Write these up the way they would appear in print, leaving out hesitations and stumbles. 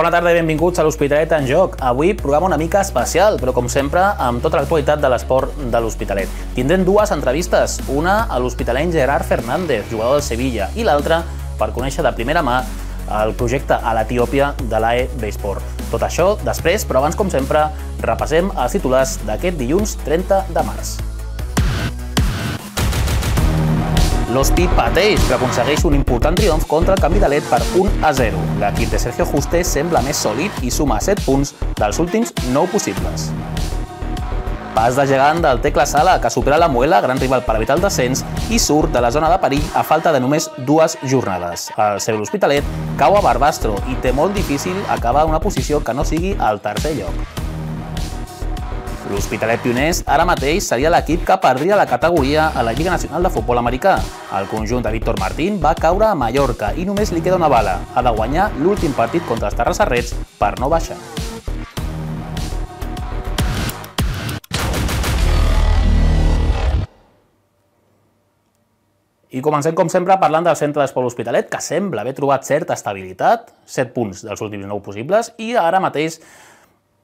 Bona tarda i benvinguts a l'Hospitalet en Joc. Avui programa una mica especial, però com sempre amb tota l'actualitat de l'esport de l'Hospitalet. Tindrem dues entrevistes, una a l'hospitaleny Gerard Fernández, jugador del Sevilla, i l'altra per conèixer de primera mà el projecte a l'Etiòpia de l'AE Besport. Tot això després, però abans, com sempre, repassem els titulars d'aquest dilluns 30 de març. L'Hospi pateix, però aconsegueix un important triomf contra el Canvi de Led per 1-0. L'equip de Sergio Juste sembla més sòlid i suma 7 punts dels últims 9 possibles. Pas de gegant del Tecla Sala, que supera la Muela, gran rival per evitar el descens, i surt de la zona de perill a falta de només 2 jornades. El seu L'Hospitalet cau a Barbastro i té molt difícil acabar una posició que no sigui al tercer lloc. L'Hospitalet Pioners ara mateix seria l'equip que perdria la categoria a la Lliga Nacional de Futbol Americà. El conjunt de Víctor Martín va caure a Mallorca i només li queda una bala. Ha de guanyar l'últim partit contra els Terrassarrets per no baixar. I comencem, com sempre, parlant del centre d'esport L'Hospitalet, que sembla haver trobat certa estabilitat, 7 punts dels últims 9 possibles, i ara mateix,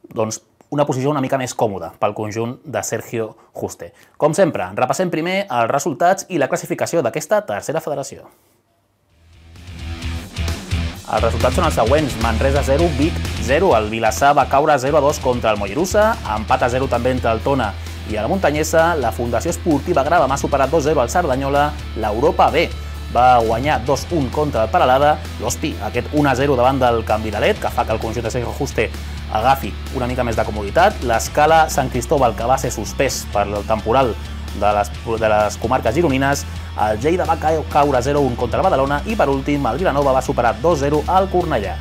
doncs, una posició una mica més còmoda pel conjunt de Sergio Juste. Com sempre, repassem primer els resultats i la classificació d'aquesta tercera federació. Els resultats són els següents: Manresa 0, Vic 0, el Vilassar va caure 0-2 contra el Mollerussa, empat a 0 també entre el Tona i la Muntanyesa, la Fundació Esportiva Grava m'ha superat 2-0 al Cerdanyola, l'Europa B va guanyar 2-1 contra el Peralada, l'Hospi, aquest 1-0 davant del Canvi de Led, que fa que el conjunt de Sergio Juste agafi una mica més de comoditat, l'Escala Sant Cristóbal, que va ser suspès per el temporal de les comarques gironines, el Lleida va caure 0-1 contra el Badalona i, per últim, el Vilanova va superar 2-0 al Cornellà.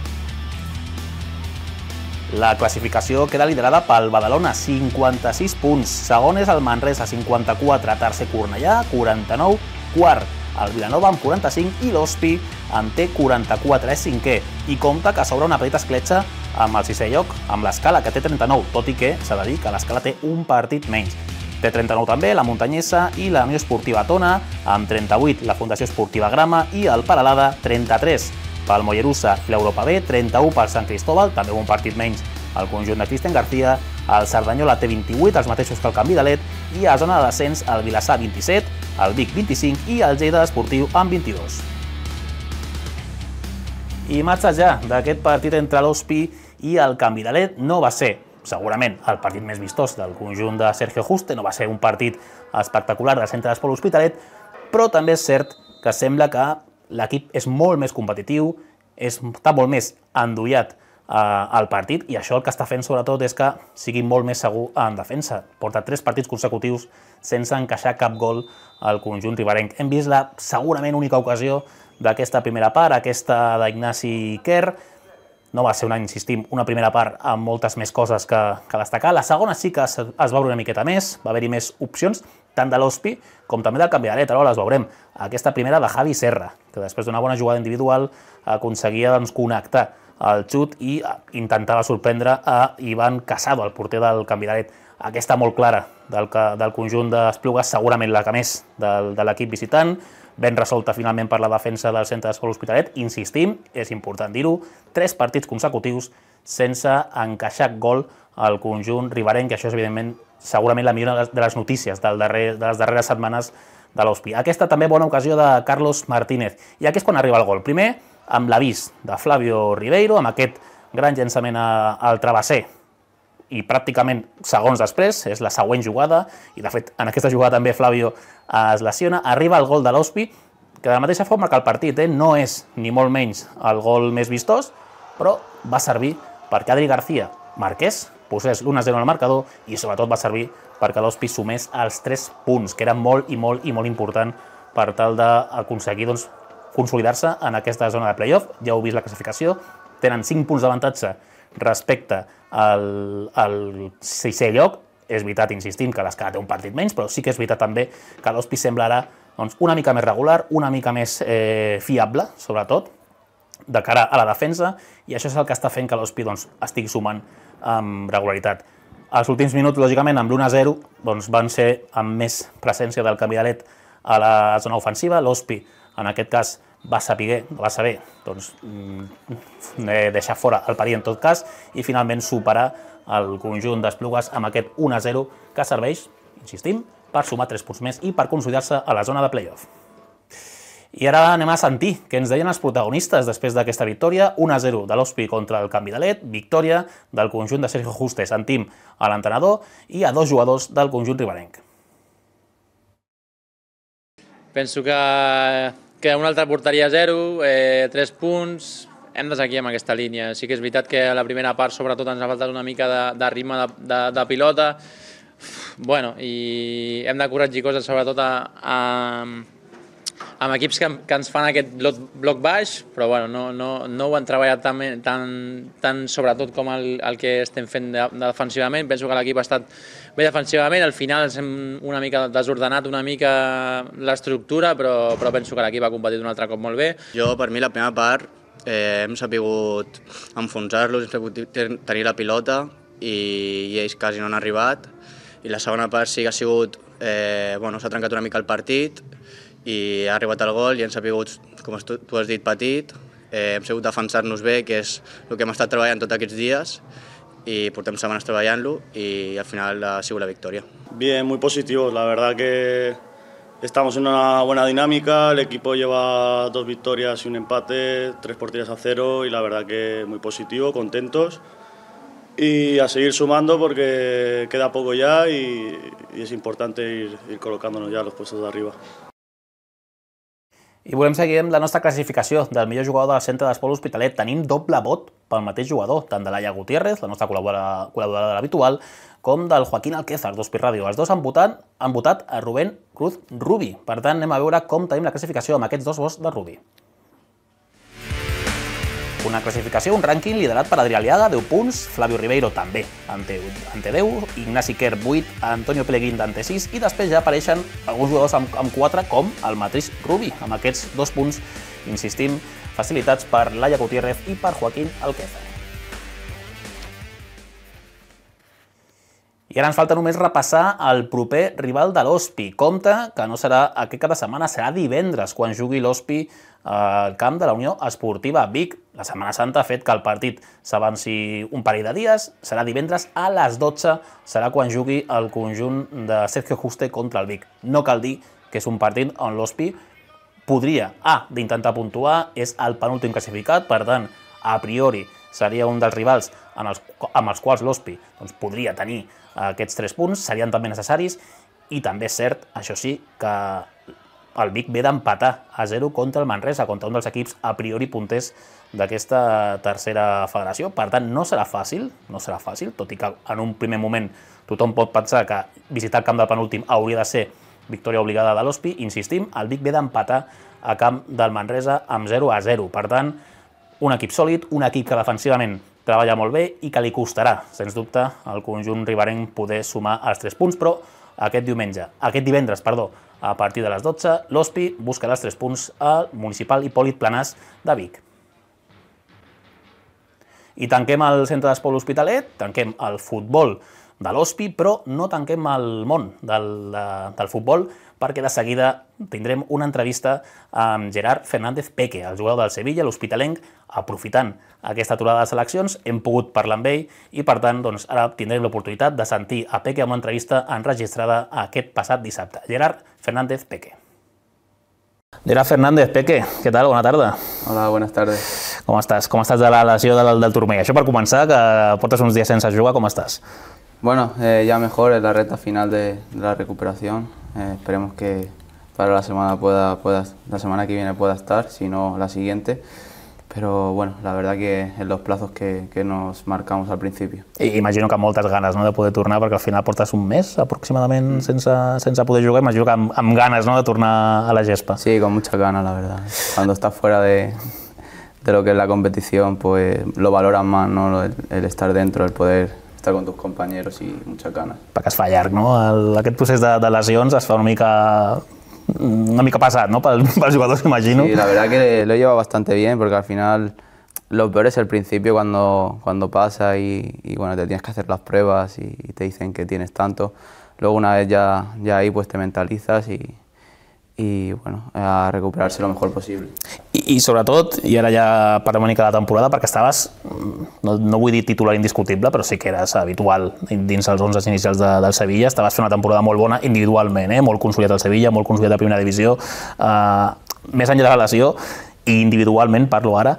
La classificació queda liderada pel Badalona, 56 punts, segon és el Manresa, 54, tercer Cornellà, 49, quart el Vilanova amb 45 i l'Hospi en té 44, és cinquè, i compta que s'obre una petita escletxa amb el sisè lloc, amb l'Escala, que té 39, tot i que s'ha de dir que l'Escala té un partit menys. Té 39 també la Muntanyesa i la Unió Esportiva Tona, amb 38 la Fundació Esportiva Grama i el Peralada, 33 pel Mollerussa i l'Europa B, 31 pel Sant Cristóbal, també un partit menys el conjunt de Cristian García, el Cerdanyola té 28, els mateixos que el Canvi de Led, i a zona de descens el Vilassar 27, el Vic 25 i el Lleida Esportiu amb 22. Imatges ja d'aquest partit entre l'Hospi i el Canvi de Led. No va ser, segurament, el partit més vistós del conjunt de Sergio Juste, no va ser un partit espectacular del centre d'esport L'Hospitalet, però també és cert que sembla que l'equip és molt més competitiu, està molt més endollat al partit, i això el que està fent sobretot és que sigui molt més segur en defensa. Porta 3 partits consecutius sense encaixar cap gol al conjunt riberenc. Hem vist la segurament única ocasió d'aquesta primera part, aquesta d'Ignasi Quer. No va ser, insistim, una primera part amb moltes més coses que destacar. La segona sí que es va veure una miqueta més, va haver-hi més opcions, tant de l'Hospi com també del Canvi de Led. Ara les veurem. Aquesta primera de Javi Serra, que després d'una bona jugada individual aconseguia connectar el xut i intentava sorprendre a Ivan Casado, el porter del Canvi de Led. Aquesta molt clara del conjunt d'Esplugues, segurament la que més de l'equip visitant, ben resolta finalment per la defensa del centre d'esport L'Hospitalet. Insistim, és important dir-ho, 3 partits consecutius sense encaixar gol al conjunt riberenc, que això és, evidentment, segurament la millor de les notícies de les darreres setmanes de l'Hospi. Aquesta també bona ocasió de Carlos Martínez. I aquí és quan arriba el gol. Primer, amb l'avís de Flavio Ribeiro, amb aquest gran llançament al travesser, i pràcticament segons després, és la següent jugada, i de fet en aquesta jugada també Flavio es lesiona, arriba el gol de l'Hospi, que de la mateixa forma que el partit no és ni molt menys el gol més vistós, però va servir perquè Adri García marqués, posés l'1-0 al marcador, i sobretot va servir perquè l'Hospi sumés els 3 punts, que era molt i molt i molt important per tal d'aconseguir consolidar-se en aquesta zona de playoff. Ja heu vist la classificació, tenen 5 punts d'avantatge respecte al 6è lloc. És veritat, insistim, que l'Escala té un partit menys, però sí que és veritat també que l'Hospi sembla ara una mica més regular, una mica més fiable, sobretot, de cara a la defensa, i això és el que està fent que l'Hospi estigui sumant amb regularitat. Els últims minuts, lògicament, amb l'1-0, van ser amb més presència del Canvi de Led a la zona ofensiva. L'Hospi, en aquest cas, va saber doncs, deixar fora el perill en tot cas i finalment superar el conjunt d'Esplugues amb aquest 1-0 que serveix, insistim, per sumar 3 punts més i per consolidar-se a la zona de play-off. I ara anem a sentir què ens deien els protagonistes després d'aquesta victòria, 1-0 de l'Hospi contra el Canvidalet, victòria del conjunt de Sergio Juste. Sentim a l'entrenador i a 2 jugadors del conjunt riberenc. Penso que una altra porteria 0, 3 punts, hem de seguir amb aquesta línia. Sí que és veritat que a la primera part sobretot ens ha faltat una mica de ritme de pilota, i hem de corregir coses sobretot amb equips que ens fan aquest bloc baix, però no ho han treballat tant sobretot com el que estem fent defensivament. Penso que l'equip ha estat bé defensivament, al final hem una mica desordenat una mica l'estructura, però penso que l'equip ha competit un altre cop molt bé. Per mi la primera part hem sabut enfonsar-los, hem sabut tenir la pilota i ells quasi no han arribat, i la segona part sí que ha sigut, s'ha trencat una mica el partit i ha arribat el gol i hem sabut, com tu has dit, petit, hem sabut defensar-nos bé, que és el que hem estat treballant tots aquests dies y portem semanas treballant-lo y al final ha sido la victoria. Bien, muy positivos, la verdad que estamos en una buena dinámica, el equipo lleva 2 victorias y un empate, 3 porterías a 0 y la verdad que muy positivo, contentos y a seguir sumando porque queda poco ya y es importante ir colocándonos ya a los puestos de arriba. I volem seguir amb la nostra classificació del millor jugador del centre d'Esport L'Hospitalet. Tenim doble vot pel mateix jugador, tant de Laia Gutiérrez, la nostra col·laboradora habitual, com del Joaquín Alquézar, d'Hospi Ràdio. Els dos han votat a Rubén Cruz Rubi. Per tant, anem a veure com tenim la classificació amb aquests 2 vots de Rubi. Una classificació, un rànquing liderat per Adrià Aliaga, 10 punts, Flavio Ribeiro també, ante 10, Ignasi Quer, 8, Antonio Peleguín d'ante 6, i després ja apareixen alguns jugadors amb 4, com el mateix Rubi, amb aquests 2 punts, insistim, facilitats per Laia Gutiérrez i per Joaquín Alquézar. I ara ens falta només repassar el proper rival de l'Hospi. Compte que no serà aquest cap de setmana, serà divendres, quan jugui l'Hospi al camp de la Unió Esportiva Vic. La Setmana Santa ha fet que el partit s'avanci un parell de dies, serà divendres a les 12, serà quan jugui el conjunt de Sergio Juste contra el Vic. No cal dir que és un partit on l'Hospi podria, d'intentar puntuar, és el penúltim classificat, per tant, a priori seria un dels rivals amb els quals l'Hospi podria tenir aquests 3 punts, serien també necessaris, i també és cert, això sí, que el Vic ve d'empatar a 0 contra el Manresa, contra un dels equips a priori punters d'aquesta tercera federació. Per tant, no serà fàcil, tot i que en un primer moment tothom pot pensar que visitar el camp del penúltim hauria de ser victòria obligada de l'Hospi. Insistim, el Vic ve d'empatar a camp del Manresa amb 0-0. Per tant, un equip sòlid, un equip que defensivament treballa molt bé i que li costarà, sens dubte, al conjunt riberenc poder sumar els 3 punts, però aquest divendres, a partir de les 12, l'Hospi buscarà els 3 punts al municipal Hipòlit Planàs de Vic. I tanquem el centre d'Esport L'Hospitalet, tanquem el futbol de l'Hospi, però no tanquem el món del futbol, perquè de seguida tindrem una entrevista amb Gerard Fernández Peque, el jugador del Sevilla, l'hospitalenc, aprofitant aquesta aturada de seleccions. Hem pogut parlar amb ell i, per tant, ara tindrem l'oportunitat de sentir a Peque amb una entrevista enregistrada aquest passat dissabte. Gerard Fernández Peque. Gerard Fernández Peque, què tal? Bona tarda. Hola, buenas tardes. Com estàs? Com estàs de la lesió del turmell? Això per començar, que portes uns dies sense jugar, com estàs? Bueno, ya mejor en la recta final de la recuperación. Esperemos que para la semana la semana que viene pueda estar, si no la siguiente. Pero bueno, la verdad que en los plazos que nos marcamos al principio. I imagino que amb moltes ganes, no, de poder tornar, perquè al final portes un mes aproximadament sense poder jugar. Imagino que amb ganes, no, de tornar a la gespa. Sí, con muchas ganas, la verdad. Cuando estás fuera de lo que es la competición, pues lo valoras más, ¿no? El estar dentro, el poder estar con tus compañeros y muchas ganas. Perquè es fa llarg, no? Aquest procés de lesions es fa una mica pesat, ¿no? Pels jugadors, imagino. Sí, la verdad que lo lleva bastante bien, porque al final lo peor es el principio cuando pasa y bueno, te tienes que hacer las pruebas y te dicen que tienes tanto. Luego una vez ya ahí pues te mentalizas y bueno, a recuperarse lo mejor posible. I sobretot, i ara ja parlem una mica de la temporada, perquè estaves, no vull dir titular indiscutible, però sí que eres habitual dins els 11 inicials del Sevilla, estaves fent una temporada molt bona individualment, molt consolidat al Sevilla, molt consolidat a primera divisió, més enllà de la lesió, i individualment, parlo ara,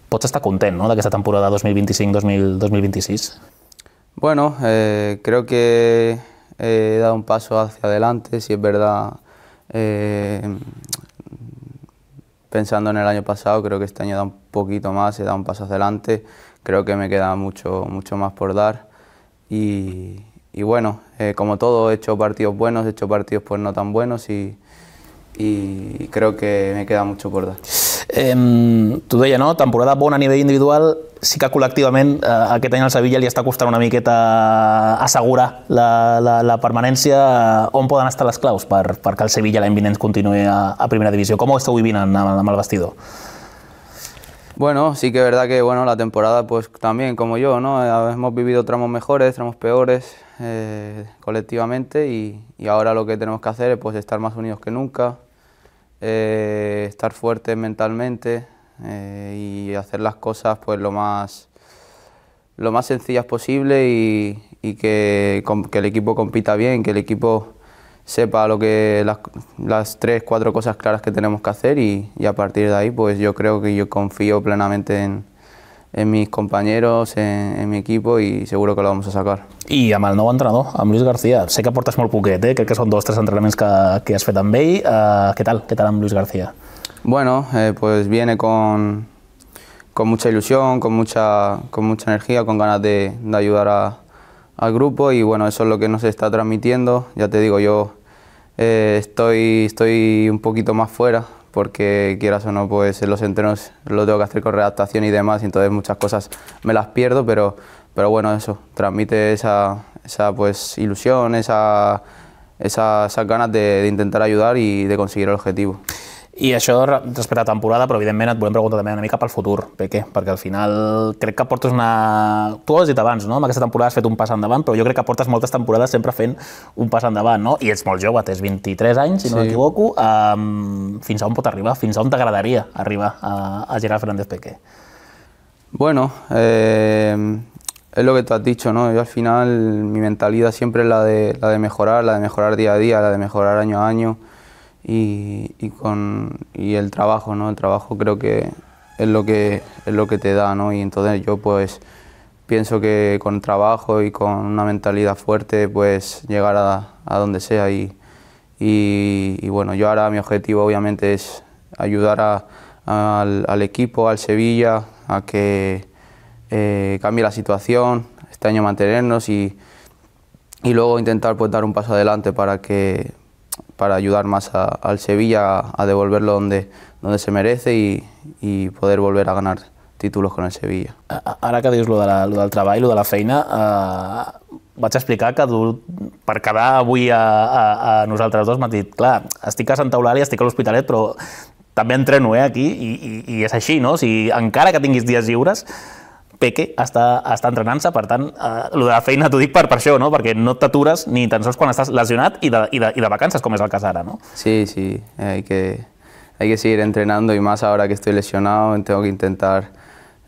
pots estar content, ¿no?, d'aquesta temporada 2025-2026? Bueno, creo que he dado un paso hacia adelante, si es verdad. Pensando en el año pasado, creo que este año da un poquito más, he dado un paso hacia adelante, creo que me queda mucho más por dar y bueno, como todo, he hecho partidos buenos, he hecho partidos pues no tan buenos y creo que me queda mucho por dar. Tu deia, no? Temporada bona a nivell individual, sí que col·lectivament aquest any al Sevilla li està costant una miqueta assegurar la permanència. On poden estar les claus perquè el Sevilla l'any vinent continuï a primera divisió? Com ho esteu vivint amb el vestidor? Bueno, sí que es verdad que bueno, la temporada pues también como yo, ¿no? Hemos vivido tramos mejores, tramos peores colectivamente y ahora lo que tenemos que hacer es pues estar más unidos que nunca. Estar fuertes mentalmente y hacer las cosas pues lo más sencillas posible y que el equipo compita bien, que el equipo sepa las 3-4 cosas claras que tenemos que hacer y a partir de ahí pues yo creo que yo confío plenamente en mis compañeros, en mi equipo y seguro que lo vamos a sacar. I amb el nou entrenador, amb Luis García, sé que portes molt poquet, crec que són 2 o 3 entrenaments que has fet amb ell. Què tal amb Luis García? Bueno, pues viene con mucha ilusión, con mucha energía, con ganas de ayudar al grupo y bueno, eso es lo que nos está transmitiendo. Ya te digo, yo estoy un poquito más fuera porque quieras o no, pues en los entrenos lo tengo que hacer con redactación y demás, y entonces muchas cosas me las pierdo, pero bueno, eso, transmite esa pues ilusión, esas ganas de intentar ayudar y de conseguir el objetivo. I això respecte a la temporada, però evidentment et volem preguntar també una mica pel futur, Peque, perquè al final crec que portes una... Tu ho has dit abans, no? Amb aquesta temporada has fet un pas endavant, però jo crec que portes moltes temporades sempre fent un pas endavant, no? I ets molt jove, tens 23 anys, si no m'equivoco. Fins a on pot arribar? Fins a on t'agradaria arribar a Gerard Fernández Peque? Bueno, es lo que tú has dicho, ¿no? Yo al final mi mentalidad siempre es la de mejorar día a día, la de mejorar año a año. Y el trabajo, ¿no? El trabajo creo que es lo que te da, ¿no? Y entonces yo pues pienso que con trabajo y con una mentalidad fuerte pues llegar a donde sea y bueno, yo ahora mi objetivo obviamente es ayudar al equipo, al Sevilla, a que cambie la situación, este año mantenernos y luego intentar pues dar un paso adelante para ayudar más al Sevilla a devolverlo donde se merece y poder volver a ganar títulos con el Sevilla. Ara que dius lo del treball, lo de la feina, vaig explicar que per quedar avui a nosaltres dos m'ha dit, clar, estic a Santa Eulàlia, estic a l'Hospitalet, però també entreno aquí i és així, no? O sigui, encara que tinguis dies lliures, Peque està entrenant-se, per tant, el de la feina t'ho dic per això, no? Perquè no t'atures ni tan sols quan estàs lesionat i de vacances, com és el cas ara, no? Sí, hay que seguir entrenando y más ahora que estoy lesionado, tengo que intentar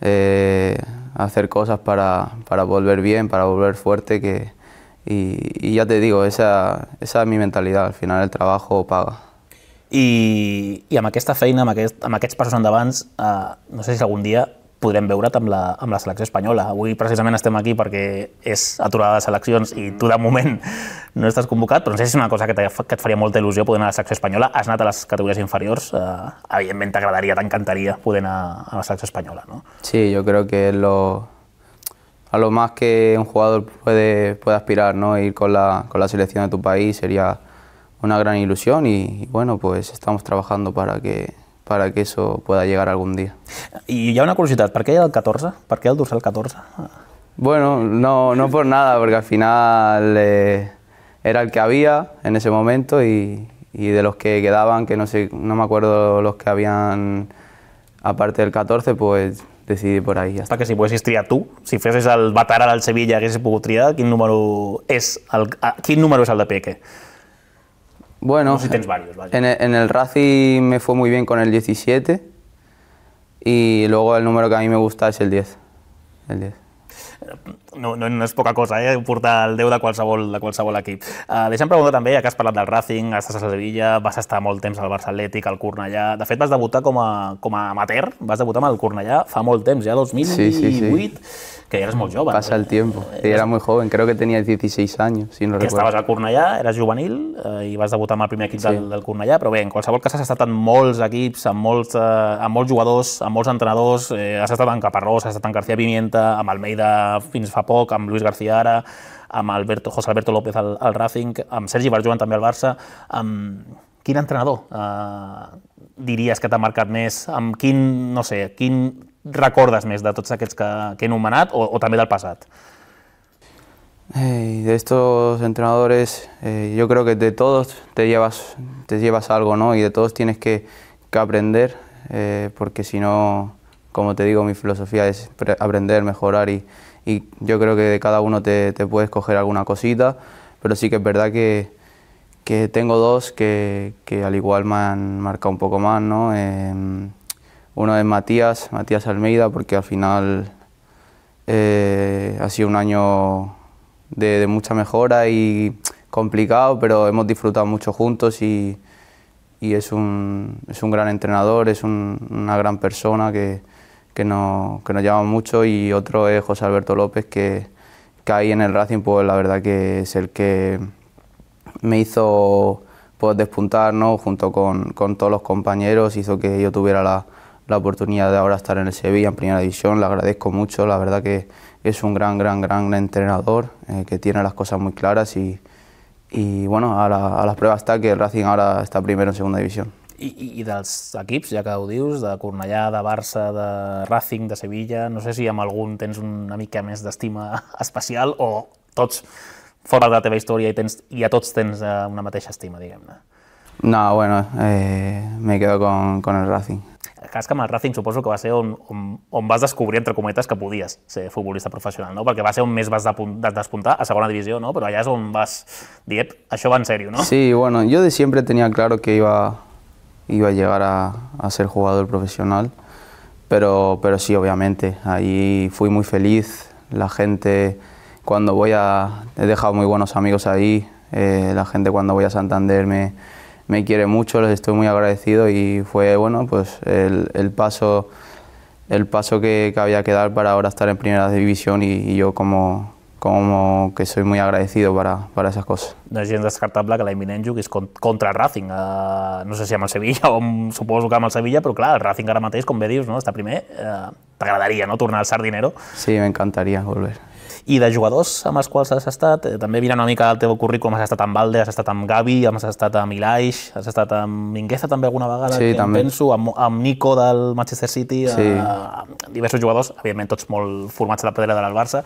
hacer cosas para volver bien, para volver fuerte, y ya te digo, esa es mi mentalidad, al final el trabajo paga. I amb aquesta feina, amb aquests passos endavant, no sé si algun dia podrem veure't amb la selecció espanyola. Avui precisament estem aquí perquè és aturada de seleccions i tu de moment no estàs convocat, però no sé si és una cosa que et faria molta il·lusió poder anar a la selecció espanyola. Has anat a les categories inferiors, evidentment t'agradaria, t'encantaria poder anar a la selecció espanyola, ¿no? Sí, yo creo que es a lo más que un jugador puede aspirar, ¿no? Ir con la selección de tu país sería una gran ilusión y bueno, pues estamos trabajando para que eso pueda llegar algún día. I hi ha una curiositat, per què el 14? Per què el dorsal 14? Bueno, no por nada, porque al final era el que había en ese momento y de los que quedaban, que no me acuerdo los que habían aparte del 14, pues decidí por ahí. Perquè si poguessis triar tu, si fessis el veterà del Sevilla, haguessis pogut triar, quin número és el de Peque? Bueno, no sé si tens varios, vaya. En el Racing me fue muy bien con el 17 Y luego el número que a mí me gusta es el 10. El 10. No és poca cosa, portar el 10 de qualsevol equip. Deixa'm preguntar també, ja que has parlat del Racing, estàs a Sevilla, vas estar molt temps al Barça Atlètic, al Cornellà. De fet, vas debutar com a amateur, vas debutar amb el Cornellà fa molt temps, ja 2008, que eres molt jove. Pasa el tiempo. Era muy joven, creo que tenía 16 años, si no recuerdo. Estaves al Cornellà, eres juvenil i vas debutar amb el primer equip del Cornellà, però bé, en qualsevol cas has estat en molts equips, amb molts jugadors, amb molts entrenadors, has estat en Caparrós, has estat en García Pimienta, amb Almeida fins fa poc, amb Luis García ara, amb José Alberto López al Racing, amb Sergi Barjuan també al Barça. Quin entrenador diries que t'ha marcat més? Amb quin recordes més de tots aquests que he nomenat o també del passat? De estos entrenadores, yo creo que de todos te llevas algo, ¿no? Y de todos tienes que aprender, porque si no, como te digo, mi filosofía es aprender, mejorar y yo creo que de cada uno te puedes coger alguna cosita, pero sí que es verdad que tengo dos que al igual me han marcado un poco más, ¿no? Uno es Matías Almeida, porque al final ha sido un año de mucha mejora y complicado, pero hemos disfrutado mucho juntos y es un gran entrenador, es una gran persona que nos llama mucho, y otro es José Alberto López, que ahí en el Racing pues la verdad que es el que me hizo pues despuntar, ¿no? Junto con todos los compañeros, hizo que yo tuviera la oportunidad de ahora estar en el Sevilla en Primera División. Le agradezco mucho, la verdad que es un gran entrenador, que tiene las cosas muy claras y bueno, a las pruebas está que el Racing ahora está primero en Segunda División. I dels equips, ja que ho dius, de Cornellà, de Barça, de Racing, de Sevilla, no sé si amb algun tens una mica més d'estima especial o tots fora de la teva història i a tots tens una mateixa estima, diguem-ne. No, bueno, me quedo con el Racing. El cas que amb el Racing suposo que va ser on vas descobrir, entre cometes, que podies ser futbolista professional, no? Perquè va ser on més vas despuntar, a segona divisió, no? Però allà és on vas dir, això va en sèrio, no? Sí, bueno, yo de siempre tenía claro que iba a llegar a ser jugador profesional, pero sí, obviamente, ahí fui muy feliz, la gente cuando he dejado muy buenos amigos ahí, la gente cuando voy a Santander me quiere mucho, les estoy muy agradecido y fue bueno, pues el paso que había que dar para ahora estar en Primera División y yo como que soy muy agradecido para esas cosas. No és gens descartable que l'any vinent juguis contra el Racing, no sé si amb el Sevilla o suposo que amb el Sevilla, però clar, el Racing ara mateix, com bé dius, no? Està primer, t'agradaria, no?, tornar al Sardinero. Sí, me encantaría volver. I de jugadors amb els quals has estat, també mirant una mica el teu currículum, has estat amb Valde, has estat amb Gavi, has estat amb Ilaix, has estat amb Mingueza també alguna vegada, sí, també. Penso, amb Nico del Manchester City, sí. Diversos jugadors, evidentment tots molt formats a la pedrera del Barça,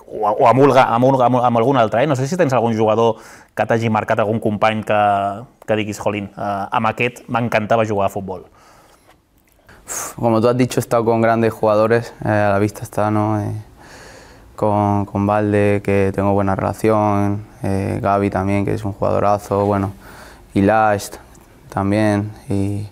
o amb algun altre, no sé si tens algun jugador que t'hagi marcat, algun company que diguis, jolín, amb aquest m'encantava jugar a futbol. Como tú has dicho, he estado con grandes jugadores, a la vista está, ¿no? Con Valde, que tengo buena relación, Gavi también, que es un jugadorazo, bueno, Ilaix también, y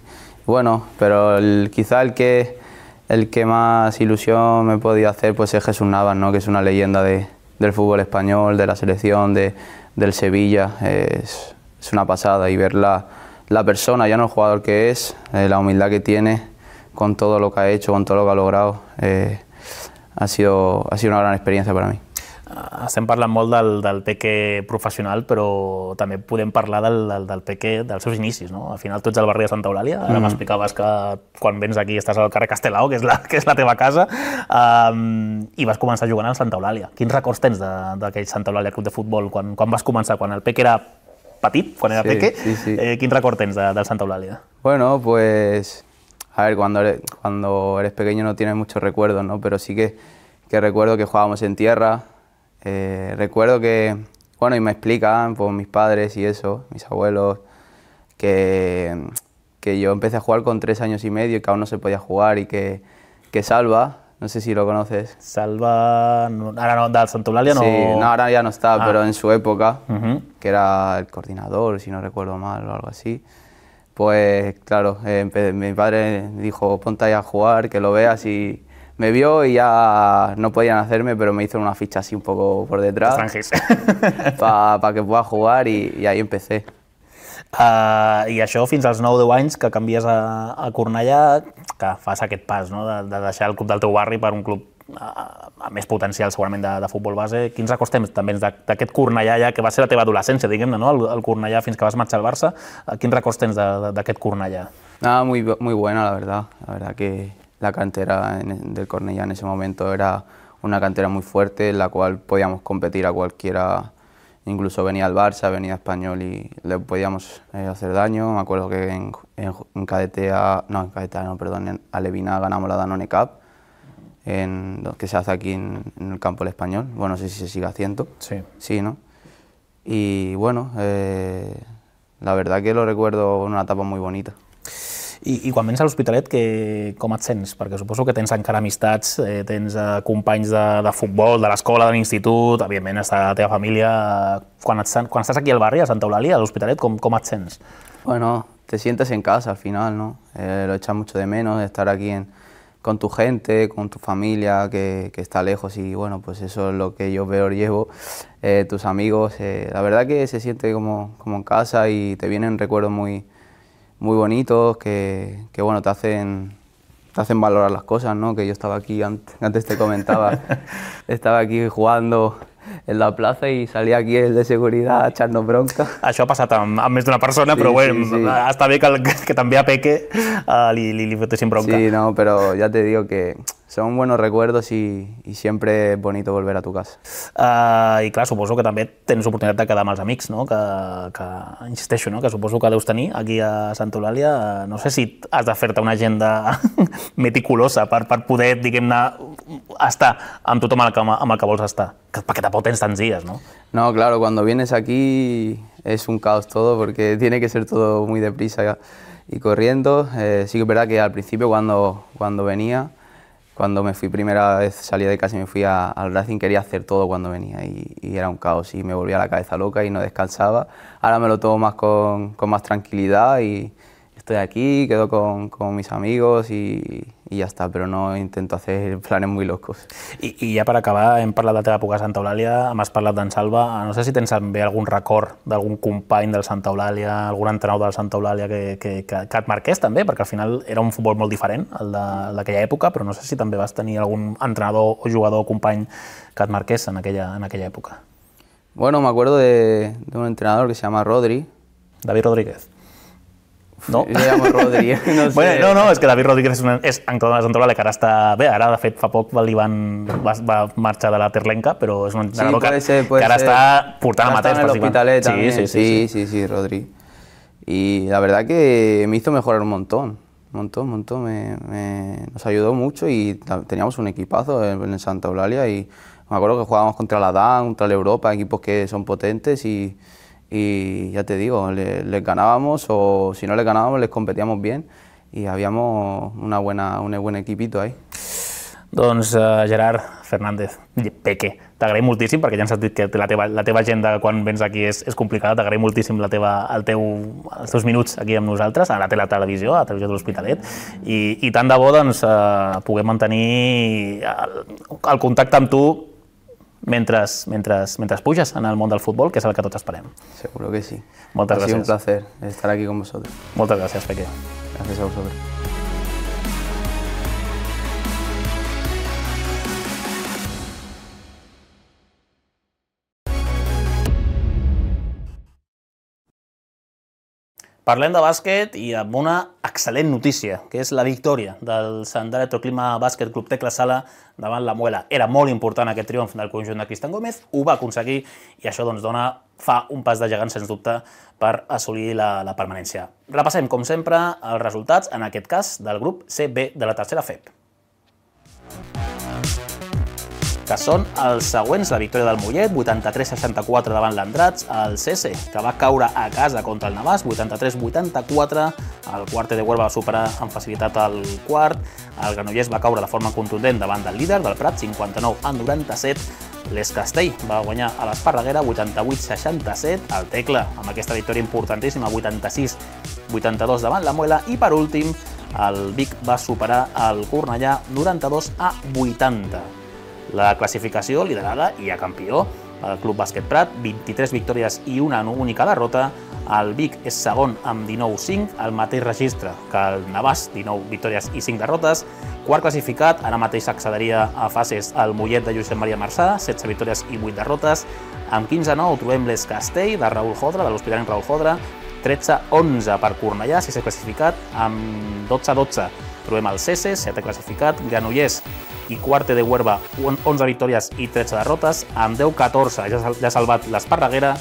bueno, pero quizá el que más ilusión me podía hacer pues es Jesús Navas, ¿no? Que es una leyenda del fútbol español, de la selección, del Sevilla, es una pasada, y ver la persona, ya no el jugador que es, la humildad que tiene, con todo lo que ha hecho, con todo lo que ha logrado, ha sido una gran experiencia para mí. Estem parlant molt del Peque professional, però també podem parlar del Peque dels seus inicis, no? Al final tu ets al barri de Santa Eulàlia, ara m'explicaves que quan vens aquí estàs al carrer Castelao, que és la teva casa, i vas començar jugant al Santa Eulàlia. Quins records tens d'aquell Santa Eulàlia Club de Futbol? Quan vas començar? Quan el Peque era petit, quan era Peque? Sí. Quin record tens del Santa Eulàlia? Bueno, pues a ver, cuando eres pequeño no tienes muchos recuerdos, ¿no? Pero sí que recuerdo que jugábamos en tierra, recuerdo que, bueno, y me explican pues, mis padres y eso, mis abuelos, que yo empecé a jugar con 3 años y medio y que aún no se podía jugar, y que Salva, no sé si lo conoces. Salva, ahora no, del Santa Eulàlia no... Sí, no, ahora ya no está, pero en su época, que era el coordinador, si no recuerdo mal o algo así, Pues claro, mi padre dijo, ponte ahí a jugar, que lo veas, y me vio y ya no podían hacerme, pero me hizo una ficha así un poco por detrás para que pueda jugar y ahí empecé. I això fins als 9-10 anys que canvies a Cornellà, que fas aquest pas, no? de deixar el club del teu barri per un club amb més potencial segurament de futbol base. Quins records tens també d'aquest Cornellà, ja que va ser la teva adolescència, diguem-ne, no? el Cornellà fins que vas marxar al Barça? Quins records tens d'aquest Cornellà? Nada, muy buena, la verdad que la cantera del Cornellà en ese momento era una cantera muy fuerte, en la cual podíamos competir a cualquiera. Incluso venía el Barça, venía Español y le podíamos hacer daño. Me acuerdo que en Alevina ganamos la Danone Cup, que se hace aquí en el campo del Español. Bueno, no sé si se sigue haciendo. Sí. Sí, ¿no? Y bueno, la verdad que lo recuerdo una etapa muy bonita. I quan vens a l'Hospitalet, com et sents? Perquè suposo que tens encara amistats, tens companys de futbol, de l'escola, de l'institut, evidentment està la teva família. Quan estàs aquí al barri, a Santa Eulàlia, a l'Hospitalet, com et sents? Bueno, te sientes en casa al final, ¿no? Lo echas mucho de menos, estar aquí con tu gente, con tu familia que está lejos, y bueno, pues eso es lo que yo peor llevo, tus amigos. La verdad que se siente como en casa y te vienen recuerdos muy bonitos que bueno, te hacen valorar las cosas, ¿no? Que yo estaba aquí, antes te comentaba, estaba aquí jugando en la plaza i salia aquí el de seguretat a echar-nos bronca. Això ha passat amb més d'una persona, però sí, bueno, sí. Està bé que també a Peque li fotessin bronca. Sí, no, pero ya te digo que son buenos recuerdos y siempre es bonito volver a tu casa. I clar, suposo que també tens oportunitat de quedar amb els amics, no? Que insisteixo, no? Que suposo que deus tenir aquí a Santa Eulàlia. No sé si has de fer-te una agenda meticulosa per poder, diguem-ne, estar amb tothom amb el que vols estar, perquè tampoc tens tants dies, ¿no? No, claro, cuando vienes aquí es un caos todo porque tiene que ser todo muy deprisa y corriendo. Sí que es verdad que al principio cuando venía, cuando me fui primera vez, salía de casa y me fui al Racing, quería hacer todo cuando venía y era un caos y me volvía la cabeza loca y no descansaba. Ahora me lo tomo más con más tranquilidad y estoy aquí, quedo con mis amigos y ja està, però no intento hacer planes muy locos. I ja per acabar, hem parlat de la teva època a Santa Eulàlia, m'has parlat d'en Salva, no sé si tens també algun record d'algun company del Santa Eulàlia, algun entrenador del Santa Eulàlia que et marqués també, perquè al final era un futbol molt diferent, el d'aquella època, però no sé si també vas tenir algun entrenador o jugador o company que et marqués en aquella època. Bueno, me acuerdo de un entrenador que se llama Rodri. David Rodríguez. No? Jo llamo Rodri, no sé. Bueno, no, és que David Rodríguez és entrenador de Santa Eulàlia, que ara està bé, ara de fet fa poc va marxar de la Terlenca, però és un entrenador que ara està portant amateurs. Está en el Hospitalet también. Sí, Rodri. Y la verdad que me hizo mejorar un montón. Nos ayudó mucho y teníamos un equipazo en Santa Eulàlia y me acuerdo que jugábamos contra la DAN, contra la Europa, equipos que son potentes y ya te digo, les ganábamos o si no les ganábamos les competíamos bien y habíamos un buen equipito ahí. Doncs Gerard Fernández, Peque, t'agraïm moltíssim perquè ja hem sentit que la teva agenda quan vens aquí és complicada, t'agraïm moltíssim els teus minuts aquí amb nosaltres, a la televisió, a la televisió de l'Hospitalet, i tant de bo doncs, puguem mantenir el contacte amb tu mentre puges en el món del futbol, que és el que tots esperem. Seguro que sí. Moltes gràcies. Ha sido un placer estar aquí con vosotros. Moltes gràcies, Peque. Gracias a vosotros. Parlem de bàsquet i amb una excel·lent notícia, que és la victòria del Sant Electroclima Bàsquet Club Tecla Sala davant la Muela. Era molt important aquest triomf del conjunt de Cristian Gómez, ho va aconseguir i això doncs fa un pas de gegant, sens dubte, per assolir la permanència. Repassem, com sempre, els resultats, en aquest cas, del grup CB de la tercera FEP, que són els següents: la victòria del Mollet, 83-64 davant l'Andrats, el CS, que va caure a casa contra el Navàs, 83-84, el Quarte de Huelva va superar amb facilitat el quart, el Granollers va caure de forma contundent davant del líder, del Prat, 59-97, l'Escastell va guanyar a l'Esparreguera 88-67, el Tecla amb aquesta victòria importantíssima 86-82 davant la Muela i per últim el Vic va superar el Cornellà 92-80. La classificació liderada i a campió el Club Bàsquet Prat, 23 victòries i una única derrota. El Vic és segon amb 19-5, el mateix registre que el Navàs, 19 victòries i 5 derrotes. Quart classificat, ara mateix accederia a fases el Mollet de Josep Maria Marçà, 16 victòries i 8 derrotes. Amb 15-9 trobem l'Escastell de Raül Jodra, de l'Hospitalet Raül Jodra, 13-11 per Cornellà, 6è classificat, amb 12-12 trobem el Cese, 7è classificat, Granollers i Quarte de Huerva, 11 victòries i 13 derrotes, amb 10-14 ja ha salvat l'Esparreguera.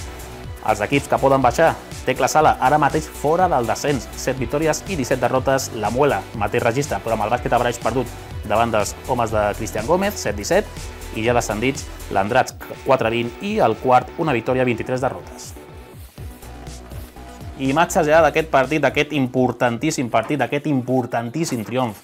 Els equips que poden baixar, Tecla Sala, ara mateix fora del descens, 7 victòries i 17 derrotes, la Muela, mateix registre, però amb el Bàsquet Abraix perdut davant dels homes de Cristian Gómez, 7-17, i ja descendits l'Andrats, 4-20, i el quart, una victòria, 23 derrotes. Imatges ja d'aquest partit, d'aquest importantíssim partit, d'aquest importantíssim triomf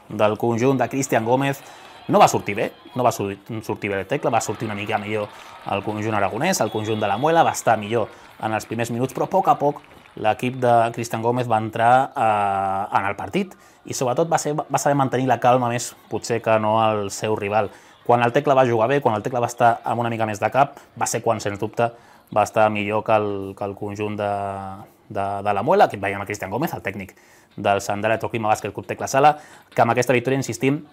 del conjunt de Cristian Gómez. No va sortir bé, no va sortir bé el Tecla, va sortir una mica millor el conjunt aragonès, el conjunt de la Muela va estar millor en els primers minuts, però a poc l'equip de Cristian Gómez va entrar en el partit i sobretot va saber mantenir la calma més potser que no el seu rival. Quan el Tecla va jugar bé, quan el Tecla va estar amb una mica més de cap, va ser quan, sens dubte, va estar millor que el conjunt de la Muela, que veiem a Cristian Gómez, el tècnic del Sant Electroclima Bàsquet Club Tecla Sala, que amb aquesta victòria, insistim,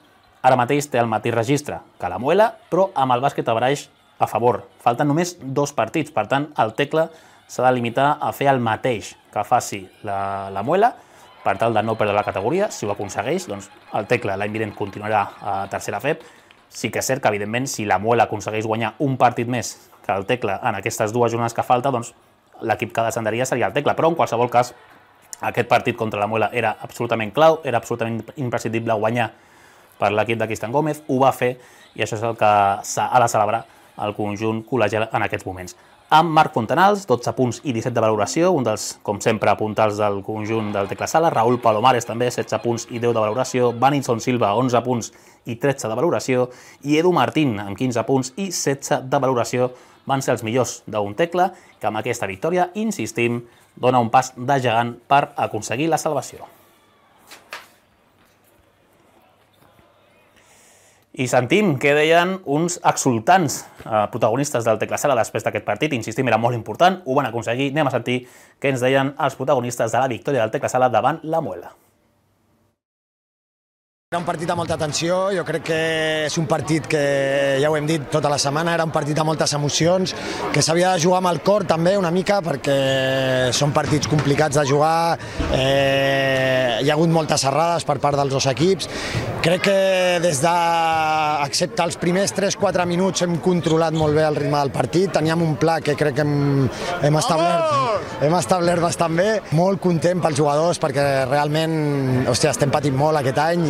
ara mateix té el mateix registre que la Muela, però amb el Bàsquet Abraix a favor. Falten només 2 partits, per tant, el Tecla s'ha de limitar a fer el mateix que faci la Muela, per tal de no perdre la categoria. Si ho aconsegueix, doncs el Tecla l'any vinent continuarà a tercera FEB. Sí que és cert que, evidentment, si la Muela aconsegueix guanyar un partit més que el Tecla en aquestes 2 jornades que falta, doncs l'equip que descendaria seria el Tecla, però en qualsevol cas aquest partit contra la Muela era absolutament clau, era absolutament imprescindible guanyar per l'equip de Cristian Gómez, ho va fer i això és el que ha de celebrar el conjunt col·legial en aquests moments. Amb Marc Fontanals, 12 punts i 17 de valoració, un dels, com sempre, puntals del conjunt del Tecla Sala. Raúl Palomares també, 16 punts i 10 de valoració. Vanison Silva, 11 punts i 13 de valoració. I Edu Martín, amb 15 punts i 16 de valoració, van ser els millors d'un Tecla, que amb aquesta victòria, insistim, dona un pas de gegant per aconseguir la salvació. I sentim què deien uns exultants protagonistes del Tecla Sala després d'aquest partit. Insistim, era molt important, ho van aconseguir. Anem a sentir què ens deien els protagonistes de la victòria del Tecla Sala davant la Muela. Era un partit amb molta tensió, jo crec que és un partit que, ja ho hem dit tota la setmana, era un partit amb moltes emocions, que s'havia de jugar amb el cor també una mica, perquè són partits complicats de jugar, hi ha hagut moltes errades per part dels dos equips. Crec que des de, excepte els primers 3-4 minuts, hem controlat molt bé el ritme del partit, teníem un pla que crec que hem establert bastant bé, molt content pels jugadors perquè realment, hòstia, estem patint molt aquest any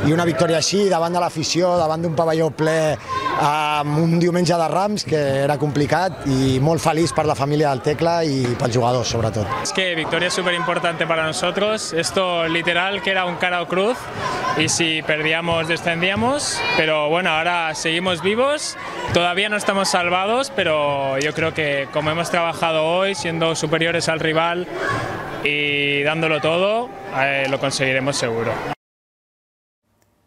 i una victòria així davant de l'afició, davant d'un pavelló ple amb un diumenge de Rams que era complicat i molt feliç per la família del Tecla i pels jugadors sobretot. Es que victoria es súper importante para nosotros, esto literal que era un cara o cruz y si perdíamos descendíamos, pero bueno, ahora seguimos vivos, todavía no estamos salvados, pero yo creo que como hemos trabajado hoy, siendo superiores al rival y dándolo todo, lo conseguiremos seguro.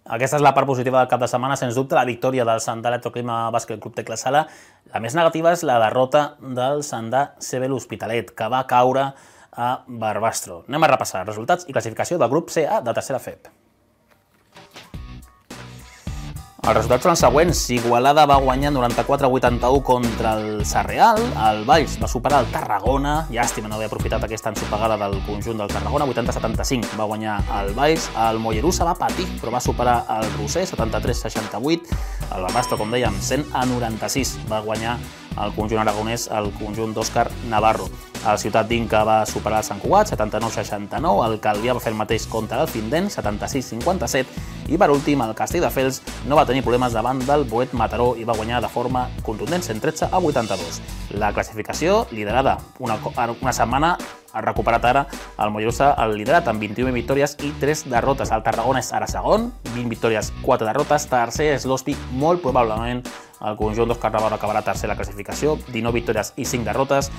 Aquesta és la part positiva del cap de setmana, sens dubte, la victòria del Sandà Electroclima Bàsquet Club Tecla Sala. La més negativa és la derrota del Sandà CB l'Hospitalet, que va caure a Barbastro. Anem a repassar resultats i classificació del grup CA de tercera FEB. Els resultats són els següents. Igualada va guanyar 94-81 contra el Sarreal, el Valls va superar el Tarragona, llàstima no haver aprofitat aquesta ensopegada del conjunt del Tarragona, 80-75 va guanyar el Valls, el Mollerussa va patir però va superar el Roser, 73-68, el Barbastro, com dèiem, 100-96 va guanyar el conjunt aragonès, el conjunt d'Òscar Navarro. El Ciutat d'Inca va superar el Sant Cugat, 79-69, el Calvià va fer el mateix contra el Findent, 76-57, i per últim el Castelldefels no va tenir problemes davant del Boet Mataró i va guanyar de forma contundent, 113-82. La classificació liderada una setmana ha recuperat ara el Mollerussa el liderat amb 21 victòries i 3 derrotes. El Tarragona és ara segon, 20 victòries, 4 derrotes. Tercer és l'Hospi, molt probablement el conjunt d'Òscar Navarro acabarà tercer a la classificació, 19 victòries i 5 derrotes.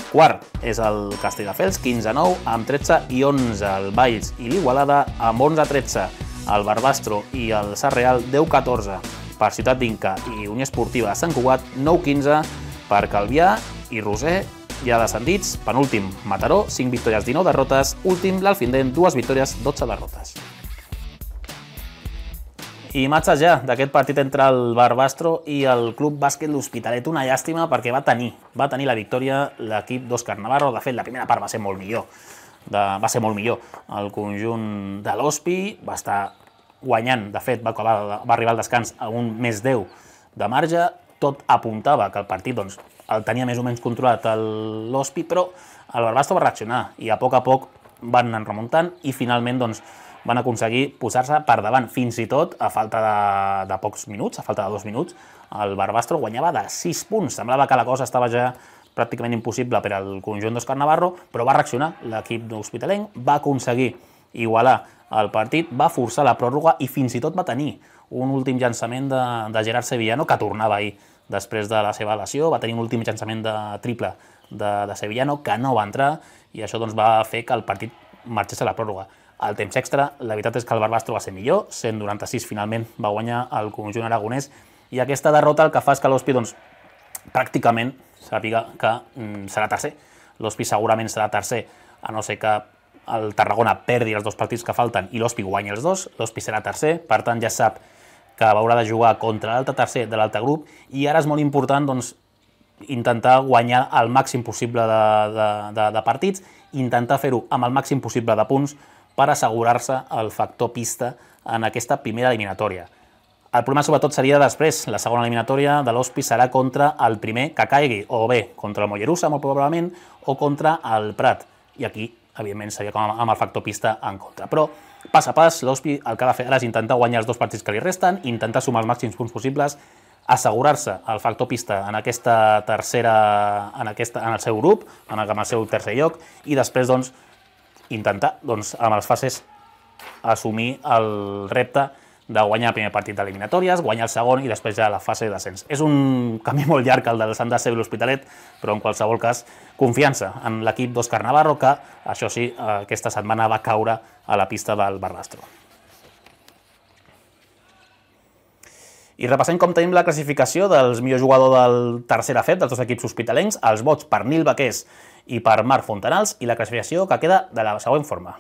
Quart és el Castelldefels, 15-9, amb 13 i 11. El Valls i l'Igualada amb 11-13. El Barbastro i el Sarreal, 10-14. Per Ciutat d'Inca i Unió Esportiva de Sant Cugat, 9-15. Per Calvià i Roser, ja descendits. Penúltim, Mataró, 5 victòries, 19 derrotes. Últim, l'Alfindent, 2 victòries, 12 derrotes. I imatges ja d'aquest partit entre el Barbastro i el Club Bàsquet L'Hospitalet. Una llàstima perquè va tenir la victòria l'equip d'Òscar Navarro. De fet, la primera part va ser molt millor. El conjunt de l'Hospi va estar guanyant. De fet, va arribar al descans a un més 10 de marge. Tot apuntava que el partit el tenia més o menys controlat l'Hospi, però el Barbastro va reaccionar i a poc van anar remuntant i finalment van aconseguir posar-se per davant, fins i tot a falta de pocs minuts, a falta de 2 minuts, el Barbastro guanyava de 6 punts. Semblava que la cosa estava ja pràcticament impossible per al conjunt d'Òscar Navarro, però va reaccionar l'equip d'Hospitalenc, va aconseguir igualar el partit, va forçar la pròrroga i fins i tot va tenir un últim llançament de Gerard Sevillano, que tornava ahir després de la seva lesió, va tenir un últim llançament de triple de Sevillano, que no va entrar, i això va fer que el partit marxés a la pròrroga. Al temps extra, la veritat és que el Barbastro va ser millor, 196 finalment va guanyar el conjunt aragonès, i aquesta derrota el que fa és que l'Hospi pràcticament sàpiga que serà tercer. L'Hospi segurament serà tercer, a no ser que el Tarragona perdi els 2 partits que falten i l'Hospi guanyi els 2, l'Hospi serà tercer, per tant ja sap que haurà de jugar contra l'altre tercer de l'altre grup, i ara és molt important intentar guanyar el màxim possible de partits, intentar fer-ho amb el màxim possible de punts per assegurar-se el factor pista en aquesta primera eliminatòria. El problema sobretot seria després, la segona eliminatòria de l'Hospi serà contra el primer que caigui, o bé contra el Mollerussa, molt probablement, o contra el Prat. I aquí, evidentment, seria com amb el factor pista en contra. Però, pas a pas, l'Hospi el que ha de fer ara és intentar guanyar els 2 partits que li resten, intentar sumar els màxims punts possibles, assegurar-se el factor pista en aquesta tercera, en el seu grup, en el seu tercer lloc, i després, intentar, amb les fases, assumir el repte de guanyar el primer partit d'eliminatòries, guanyar el segon i després ja la fase de descens. És un camí molt llarg el del Sant Dàcer i l'Hospitalet, però en qualsevol cas, confiança en l'equip d'Òscar Navarro, que, això sí, aquesta setmana va caure a la pista del Barbastro. I repassem com tenim la classificació dels millors jugadors del tercera FEP, dels 2 equips hospitalencs, els vots per Nil Baqués i per Marc Fontanals, i la classificació que queda de la següent forma.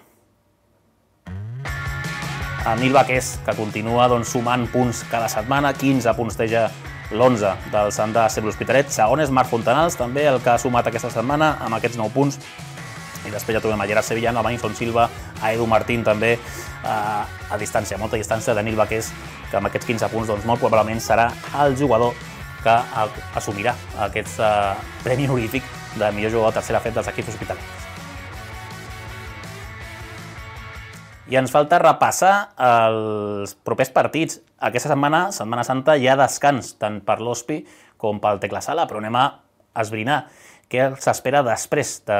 El Nil Baqués, que continua sumant punts cada setmana, 15 punts té ja l'11 del Sant Dàcer i l'Hospitalet. Segon és Marc Fontanals, també el que ha sumat aquesta setmana amb aquests 9 punts. I després ja trobem a Gerard Sevillano, a Benson Silva, a Edu Martín també, a distància, molta distància de Nil Baqués, que amb aquests 15 punts molt probablement serà el jugador que assumirà aquest premi honorífic de millor jugador de tercera FEP dels equips hospitalencs. I ens falta repassar els propers partits. Aquesta setmana, Setmana Santa, hi ha descans tant per l'Hospi com pel Tecla Sala, però anem a esbrinar què s'espera després de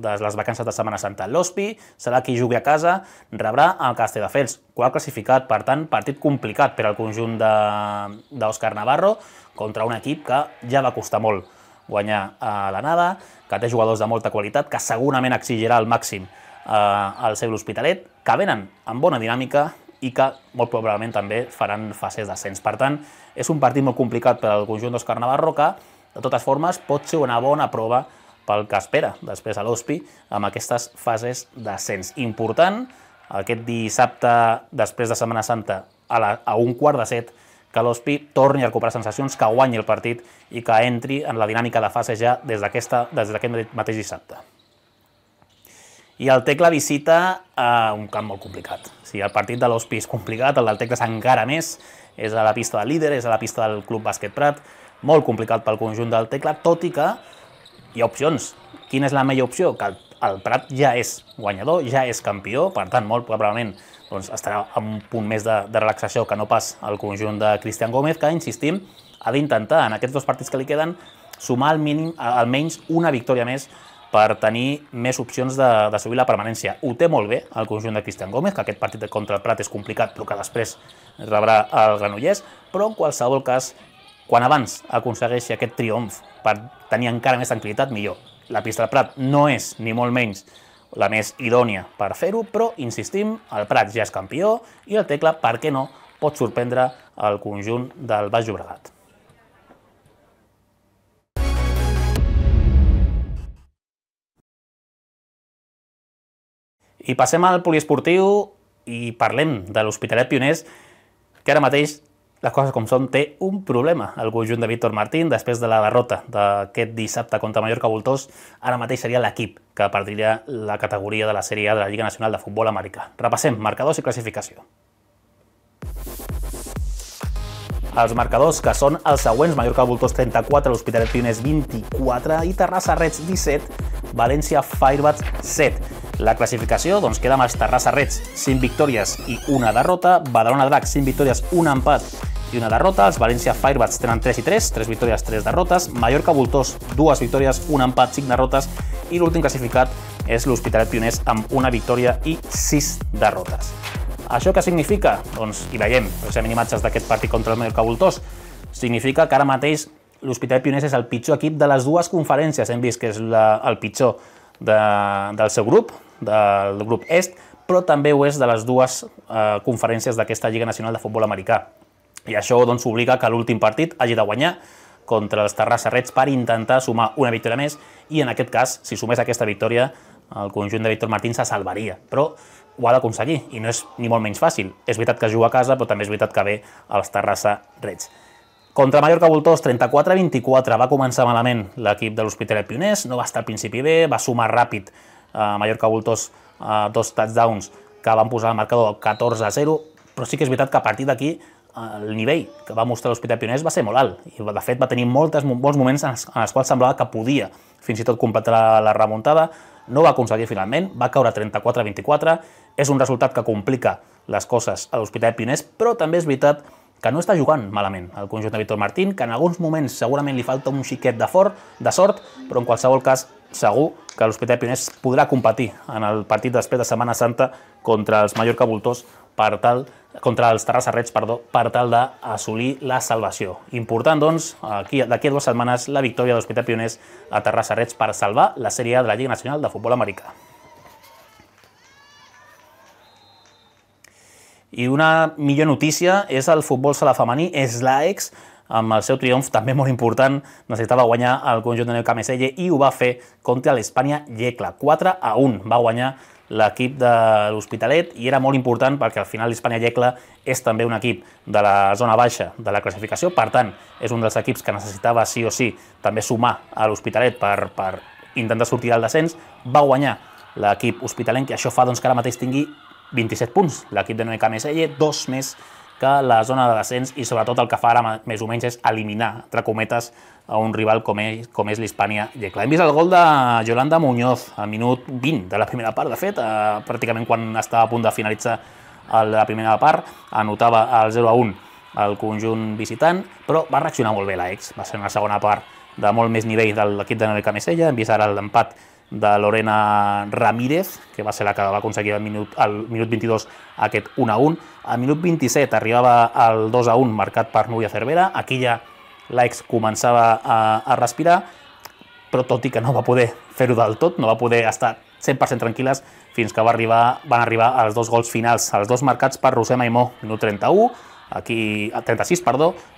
les vacances de Setmana Santa. L'Hospi serà qui jugui a casa, rebrà el Castelldefels, quart classificat, per tant, partit complicat per al conjunt d'Òscar Navarro contra un equip que ja va costar molt guanyar a l'anada, que té jugadors de molta qualitat, que segurament exigirà al màxim al seu l'Hospitalet, que venen amb bona dinàmica i que molt probablement també faran fases d'ascens. Per tant, és un partit molt complicat per al conjunt d'Òscar Navarro que, de totes formes, pot ser una bona prova pel que espera després a l'Hospi amb aquestes fases d'ascens. Important, aquest dissabte, després de Setmana Santa, a 6:15, que l'Hospi torni a recuperar sensacions, que guanyi el partit i que entri en la dinàmica de fase ja des d'aquest mateix dissabte. I el Tecla visita un camp molt complicat. Si el partit de l'Hospi és complicat, el del Tecla és encara més. És a la pista del líder, és a la pista del Club Bàsquet Prat. Molt complicat pel conjunt del Tecla, tot i que hi ha opcions. Quina és la millor opció? Que el Prat ja és guanyador, ja és campió, per tant, molt probablement estarà amb un punt més de relaxació que no pas el conjunt de Cristian Gómez, que, insistim, ha d'intentar en aquests 2 partits que li queden sumar almenys una victòria més per tenir més opcions d'assolir la permanència. Ho té molt bé el conjunt de Cristian Gómez, que aquest partit contra el Prat és complicat, però que després rebrà el Granollers, però en qualsevol cas, quan abans aconsegueixi aquest triomf per tenir encara més tranquil·litat, millor. La pista del Prat no és, ni molt menys, la més idònia per fer-ho, però, insistim, el Prat ja és campió i el Tecla, per què no, pot sorprendre el conjunt del Baix Llobregat. I passem al poliesportiu i parlem de l'Hospitalet Pioners, que ara mateix, les coses com són, té un problema. El conjunt de Víctor Martín, després de la derrota d'aquest dissabte contra Mallorca Voltors, ara mateix seria l'equip que perdria la categoria de la Sèrie A de la Lliga Nacional de Futbol Americà. Repassem marcadors i classificació. Els marcadors, que són els següents: Mallorca Voltors 34, l'Hospitalet Pioners 24 i Terrassa Reds 17, València Firebats 7. La classificació queda amb els Terrassa Reds 5 victòries i una derrota, Badalona Dracs 5 victòries, un empat i una derrota, els València Firebats tenen 3 i 3, 3 victòries, 3 derrotes, Mallorca Voltors 2 victòries, un empat, 5 derrotes i l'últim classificat és l'Hospitalet Pioners amb una victòria i 6 derrotes. Això què significa? I veiem precisament imatges d'aquest partit contra el Mallorca Voltors. Significa que ara mateix l'Hospitalet Pioners és el pitjor equip de les dues conferències. Hem vist que és el pitjor del seu grup, del grup est, però també ho és de les dues conferències d'aquesta Lliga Nacional de Futbol Americà. I això obliga que l'últim partit hagi de guanyar contra els Terrassa Reds per intentar sumar una victòria més i en aquest cas, si sumés aquesta victòria, el conjunt de Víctor Martín se salvaria, però ho ha d'aconseguir i no és ni molt menys fàcil. És veritat que juga a casa, però també és veritat que ve als Terrassa Reds. Contra Mallorca Voltors, 34-24, va començar malament l'equip de l'Hospitalet Pioners, no va estar al principi bé, va sumar ràpid a Mallorca Voltors 2 touchdowns que van posar el marcador 14-0, però sí que és veritat que a partir d'aquí el nivell que va mostrar l'Hospitalet Pioners va ser molt alt i de fet va tenir molts moments en els quals semblava que podia fins i tot completar la remuntada. No va aconseguir finalment, va caure 34-24, és un resultat que complica les coses a l'Hospitalet Pioners, però també és veritat que no està jugant malament el conjunt de Víctor Martín, que en alguns moments segurament li falta un xiquet de sort, però en qualsevol cas segur que l'Hospitalet Pioners podrà competir en el partit després de Setmana Santa contra els Mallorca Voltors contra els Terrassa Reds, per tal d'assolir la salvació. Important, doncs, d'aquí a 2 setmanes, la victòria de l'Hospitalet Pioners a Terrassa Reds per salvar la Sèrie A de la Lliga Nacional de Futbol Americà. I una millor notícia és el futbol sala femení. L'AEX, amb el seu triomf també molt important, necessitava guanyar el conjunt de Cameselle i ho va fer contra l'Hispània Yecla. 4-1 va guanyar l'equip de l'Hospitalet i era molt important perquè al final l'Hispània Yecla és també un equip de la zona baixa de la classificació, per tant és un dels equips que necessitava sí o sí també sumar a l'Hospitalet per intentar sortir del descens. Va guanyar l'equip hospitalenc i això fa que ara mateix tingui 27 punts. L'equip de Noé Cameselle, 2 més que la zona de descens i sobretot el que fa ara més o menys és eliminar, entre cometes, a un rival com és l'Hispània Yecla. Hem vist el gol de Yolanda Muñoz al minut 20 de la primera part, de fet, pràcticament quan estava a punt de finalitzar la primera part, anotava el 0-1 al conjunt visitant, però va reaccionar molt bé l'AEX. Va ser una segona part de molt més nivell de l'equip de Noé Cameselle. Hem vist ara l'empat de Lorena Ramírez, que va ser la que va aconseguir al minut 22 aquest 1-1. Al minut 27 arribava el 2-1 marcat per Núria Cervera. Aquí ja l'AEX començava a respirar, però tot i que no va poder fer-ho del tot, no va poder estar 100% tranquil·les fins que van arribar als 2 gols finals, els 2 marcats per Roser Maimó, minut 36,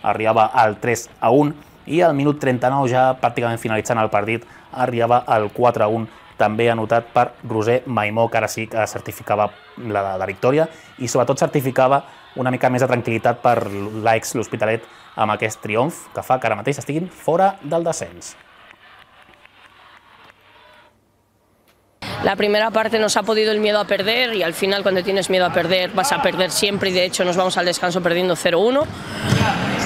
arribava al 3-1 i al minut 39, ja pràcticament finalitzant el partit, arribava al 4-1, també anotat per Roser Maimó, que ara sí que certificava la victòria i sobretot certificava una mica més de tranquil·litat per l'AEX l'Hospitalet amb aquest triomf que fa que ara mateix estiguin fora del descens. La primera parte nos ha podido el miedo a perder y al final cuando tienes miedo a perder vas a perder siempre y de hecho nos vamos al descanso perdiendo 0-1.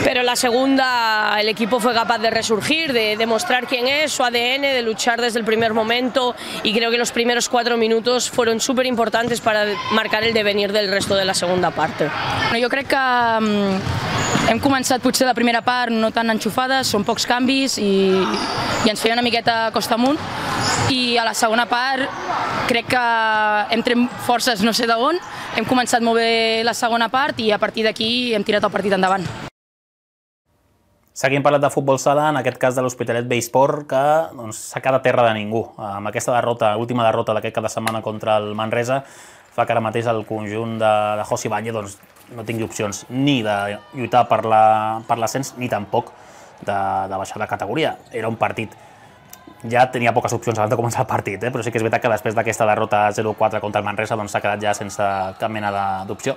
Pero en la segunda el equipo fue capaz de resurgir, de demostrar quién es, su ADN, de luchar desde el primer momento y creo que los primeros 4 minutos fueron súper importantes para marcar el devenir del resto de la segunda parte. Jo crec que hem començat potser la primera part no tan enxufades, són pocs canvis i ens feia una miqueta costa amunt, i a la segona part crec que hem tret forces no sé d'on, hem començat molt bé la segona part i a partir d'aquí hem tirat el partit endavant. Seguim parlant de futbol sala, en aquest cas de l'Hospitalet B-Sport, que s'ha quedat terra de ningú. Amb aquesta última derrota d'aquest cap de setmana contra el Manresa, fa que ara mateix el conjunt de José Ibáñez no tingui opcions ni de lluitar per l'ascens ni tampoc de baixar de categoria. Era un partit, ja tenia poques opcions abans de començar el partit, però sí que és veritat que després d'aquesta derrota 0-4 contra el Manresa s'ha quedat ja sense cap mena d'opció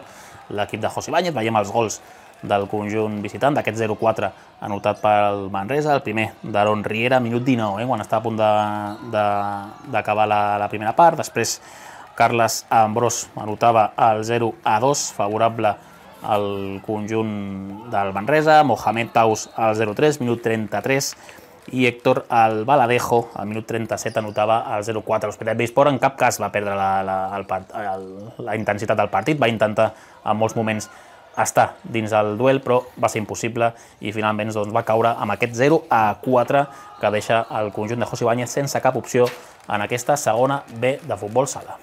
l'equip de José Ibáñez. Veiem els gols del conjunt visitant, d'aquest 0-4 anotat pel Manresa, el primer d'Aaron Riera, minut 19, quan està a punt d'acabar la primera part. Després Carles Ambrós anotava el 0-2, favorable al conjunt del Manresa, Mohamed Taus al 0-3, minut 33, i Héctor Albaladejo, al minut 37, anotava el 0-4. L'Hospitalet B-Sport en cap cas va perdre la intensitat del partit, va intentar en molts moments estar dins el duel, però va ser impossible i finalment va caure amb aquest 0-4 que deixa el conjunt de José Ibáñez sense cap opció en aquesta segona B de futbol sala.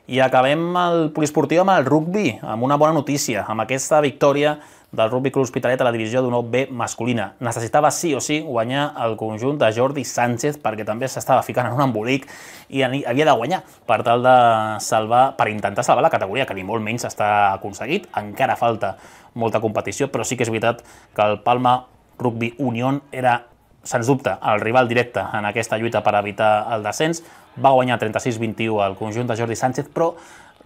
I acabem el poliesportiu amb el rugbi, amb una bona notícia, amb aquesta victòria del Rugby Club Hospitalet a la divisió d'honor B masculina. Necessitava sí o sí guanyar el conjunt de Jordi Sánchez perquè també s'estava ficant en un embolic i havia de guanyar per tal de per intentar salvar la categoria, que ni molt menys s'està aconseguit. Encara falta molta competició, però sí que és veritat que el Palma Rugby Unión era, sens dubte, el rival directe en aquesta lluita per evitar el descens. Va guanyar 36-21 al conjunt de Jordi Sánchez, però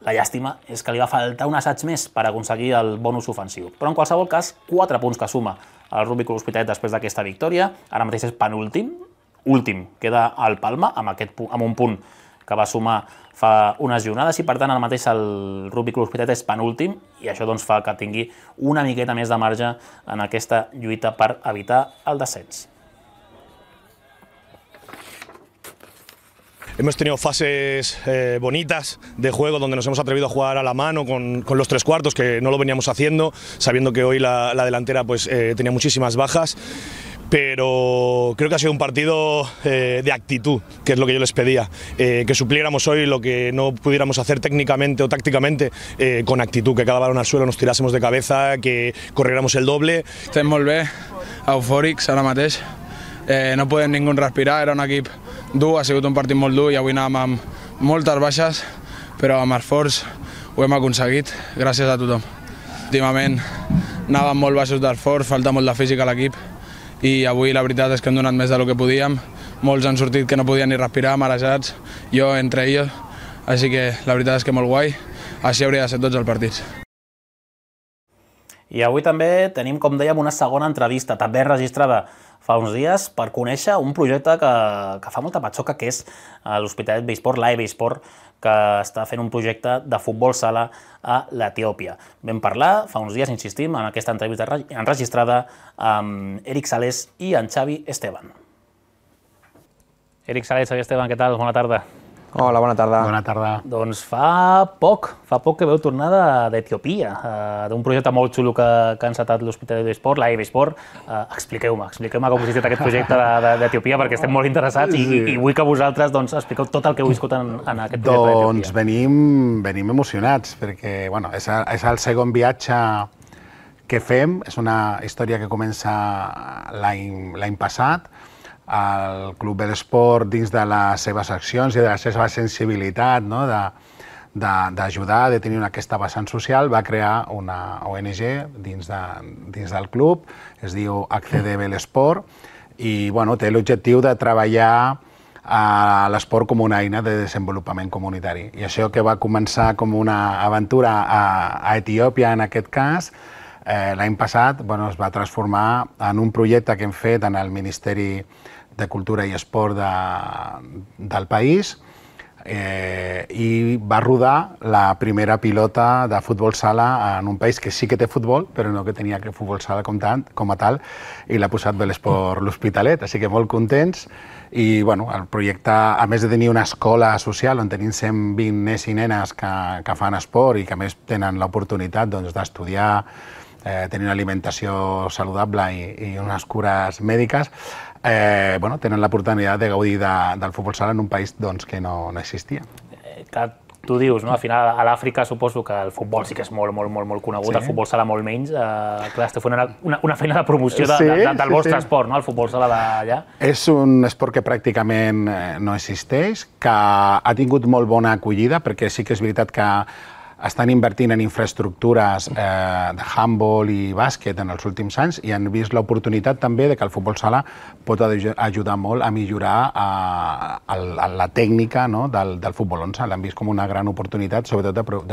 la llàstima és que li va faltar un assaig més per aconseguir el bonus ofensiu. Però en qualsevol cas, 4 punts que suma el Rugby Club Hospitalet després d'aquesta victòria. Ara mateix és penúltim, últim queda el Palma amb un punt que va sumar fa unes jornades i per tant ara mateix el Rugby Club Hospitalet és penúltim i això fa que tingui una miqueta més de marge en aquesta lluita per evitar el descens. Hemos tenido fases bonitas de juego donde nos hemos atrevido a jugar a la mano con los tres cuartos, que no lo veníamos haciendo, sabiendo que hoy la delantera tenía muchísimas bajas. Pero creo que ha sido un partido de actitud, que es lo que yo les pedía, que supliéramos hoy lo que no pudiéramos hacer técnicamente o tácticamente con actitud, que cada balón al suelo nos tirásemos de cabeza, que corriéramos el doble. Estem molt bé, eufòrics ara mateix, no podem ningú respirar, era un equip dur, ha sigut un partit molt dur i avui anàvem amb moltes baixes, però amb esforç ho hem aconseguit, gràcies a tothom. Últimament anàvem molt baixos d'esforç, falta molt de físic a l'equip i avui la veritat és que hem donat més del que podíem. Molts han sortit que no podien ni respirar, marejats, jo entre ells, així que la veritat és que molt guai, així hauria de ser tots els partits. I avui també tenim, com dèiem, una segona entrevista, també registrada fa uns dies, per conèixer un projecte que fa molta patxoca, que és l'Hospitalet B-Sport, l'AE-B-Sport, que està fent un projecte de futbol sala a l'Etiòpia. Vam parlar fa uns dies, insistim, en aquesta entrevista enregistrada amb Eric Sales i en Xavi Esteban. Eric Sales, Xavi Esteban, què tal? Bona tarda. Hola, bona tarda. Bona tarda. Doncs fa poc que veu tornar d'Etiòpia, d'un projecte molt xulo que ha encetat l'Hospitalet B-Sport, l'AE-B-Sport. Expliqueu-me com ha consistit aquest projecte d'Etiòpia, perquè estem molt interessats i vull que vosaltres expliqueu tot el que heu viscut en aquest projecte d'Etiòpia. Doncs venim emocionats, perquè és el segon viatge que fem, és una història que comença l'any passat. El Club B-Sport, dins de les seves accions i de la seva sensibilitat d'ajudar, de tenir aquesta vessant social, va crear una ONG dins del club, es diu Accede B-Sport, i té l'objectiu de treballar l'esport com una eina de desenvolupament comunitari. I això que va començar com una aventura a Etiòpia, en aquest cas, l'any passat es va transformar en un projecte que hem fet en el Ministeri de Cultura i Esport del país i va rodar la primera pilota de futbol sala en un país que sí que té futbol, però no que tenia futbol sala com a tal, i l'ha posat B-Sport l'Hospitalet, així que molt contents. I el projecte, a més de tenir una escola social on tenim 120 nens i nenes que fan esport i que a més tenen l'oportunitat d'estudiar, tenir una alimentació saludable i unes cures mèdiques, tenen l'oportunitat de gaudir del futbol sala en un país que no existia. Tu dius, no? Al final a l'Àfrica suposo que el futbol sí que és molt conegut, el futbol sala molt menys. Clar, esteu fent una feina de promoció del vostre esport, no? El futbol sala d'allà. És un esport que pràcticament no existeix, que ha tingut molt bona acollida, perquè sí que és veritat que estan invertint en infraestructures de handball i bàsquet en els últims anys i han vist l'oportunitat també de que el futbol sala pot ajudar molt a millorar la tècnica del futbol 11. L'han vist com una gran oportunitat, sobretot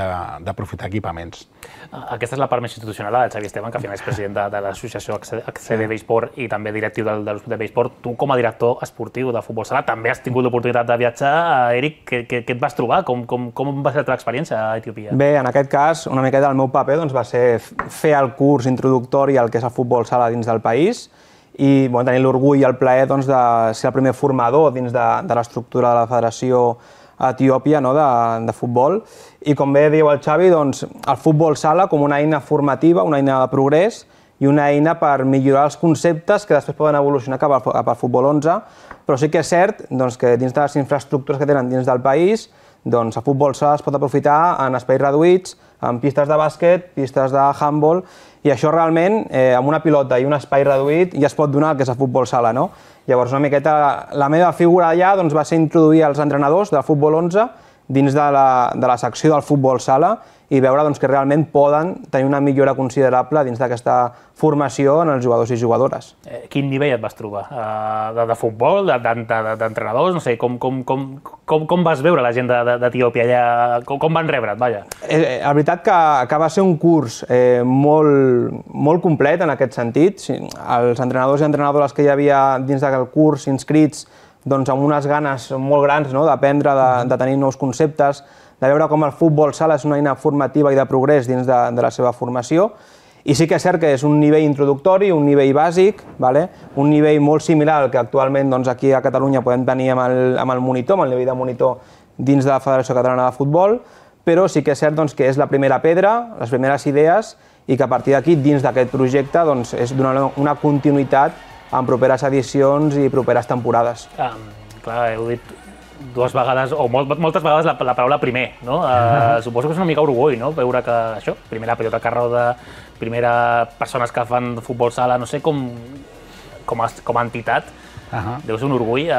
d'aprofitar equipaments. Aquesta és la part més institucional del Xavi Esteban, que al final és president de l'associació ACCD Besport i també directiu de l'Hospital Besport. Tu, com a director esportiu de futbol sala, també has tingut l'oportunitat de viatjar. Eric, què et vas trobar? Com va ser la teva experiència a Etiòpia? Bé, en aquest cas, una miqueta el meu paper va ser fer el curs introductori al que és el futbol sala dins del país i tenir l'orgull i el plaer de ser el primer formador dins de l'estructura de la Federació Etiòpia de futbol. I com bé diu el Xavi, el futbol sala com una eina formativa, una eina de progrés i una eina per millorar els conceptes que després poden evolucionar cap al futbol 11, però sí que és cert que dins de les infraestructures que tenen dins del país el futbol sala es pot aprofitar en espais reduïts, en pistes de bàsquet, pistes de handball, i això realment, amb una pilota i un espai reduït, ja es pot donar el que és el futbol sala, no? Llavors, una miqueta, la meva figura allà va ser introduir els entrenadors del futbol 11 dins de la secció del futbol sala i veure que realment poden tenir una millora considerable dins d'aquesta formació en els jugadors i jugadores. Quin nivell et vas trobar? De futbol, d'entrenadors? No sé, com vas veure la gent d'Etiòpia allà? Com van rebre't, vaja? La veritat que va ser un curs molt complet en aquest sentit. Els entrenadors i entrenadores que hi havia dins del curs inscrits amb unes ganes molt grans d'aprendre, de tenir nous conceptes, de veure com el futbol sala és una eina formativa i de progrés dins de la seva formació. I sí que és cert que és un nivell introductori, un nivell bàsic, un nivell molt similar al que actualment aquí a Catalunya podem tenir amb el monitor, amb el nivell de monitor dins de la Federació Catalana de Futbol, però sí que és cert que és la primera pedra, les primeres idees, i que a partir d'aquí, dins d'aquest projecte, és donar una continuïtat en properes edicions i properes temporades. Clar, heu dit dues vegades, o moltes vegades, la paraula primer, no? Suposo que és una mica orgull, no? Veure que això, primera pilota que roda, primera persones que fan futbol sala, no sé, com a entitat, deu ser un orgull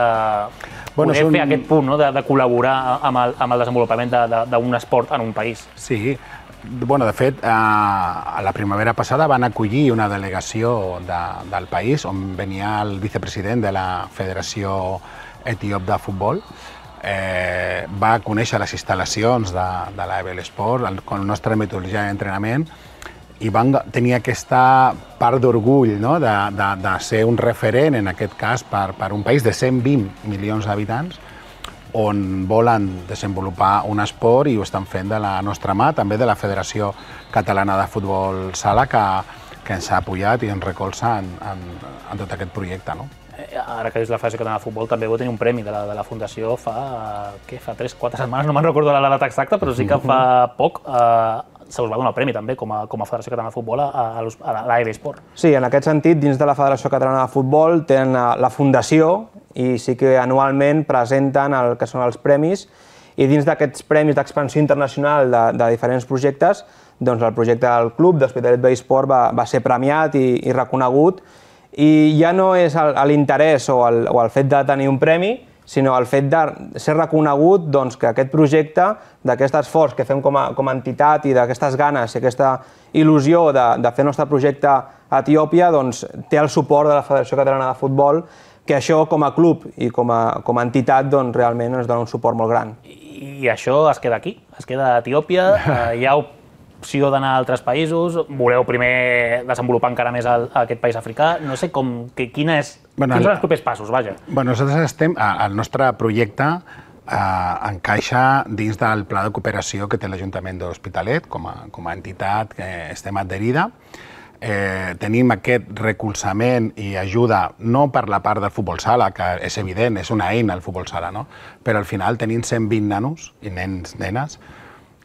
poder fer aquest punt de col·laborar amb el desenvolupament d'un esport en un país. Sí. De fet, la primavera passada van acollir una delegació del país on venia el vicepresident de la Federació Etíop de Futbol, va conèixer les instal·lacions de l'Ebel Sport, con la nostra metodologia d'entrenament, i van tenir aquesta part d'orgull de ser un referent, en aquest cas, per un país de 120 milions d'habitants, on volen desenvolupar un esport i ho estan fent de la nostra mà, també de la Federació Catalana de Futbol Sala, que ens ha apoyat i ens recolza en tot aquest projecte. Ara que és la Federació Catalana de Futbol, també vau tenir un premi de la Fundació fa 3-4 setmanes, no me'n recordo la data exacta, però sí que fa poc se us va donar el premi també com a Federació Catalana de Futbol a l'AEB Esport. Sí, en aquest sentit, dins de la Federació Catalana de Futbol tenen la Fundació i sí que anualment presenten el que són els premis, i dins d'aquests premis d'expansió internacional de diferents projectes, doncs el projecte del club d'Hospitalet Besport va ser premiat i reconegut, i ja no és l'interès o el fet de tenir un premi, sinó el fet de ser reconegut que aquest projecte, d'aquest esforç que fem com a entitat i d'aquestes ganes i aquesta il·lusió de fer el nostre projecte a Etiòpia, té el suport de la Federació Catalana de Futbol, que això com a club i com a entitat realment ens dona un suport molt gran. I això es queda aquí, es queda a Etiòpia, hi ha opció d'anar a altres països, voleu primer desenvolupar encara més aquest país africà, no sé quins són els propers passos, vaja. Nosaltres estem, el nostre projecte encaixa dins del pla de cooperació que té l'Ajuntament de l'Hospitalet, com a entitat que estem adherida. Tenim aquest recolzament i ajuda no per la part del futbol sala, que és evident, és una eina el futbol sala, però al final tenim 120 nanos i nenes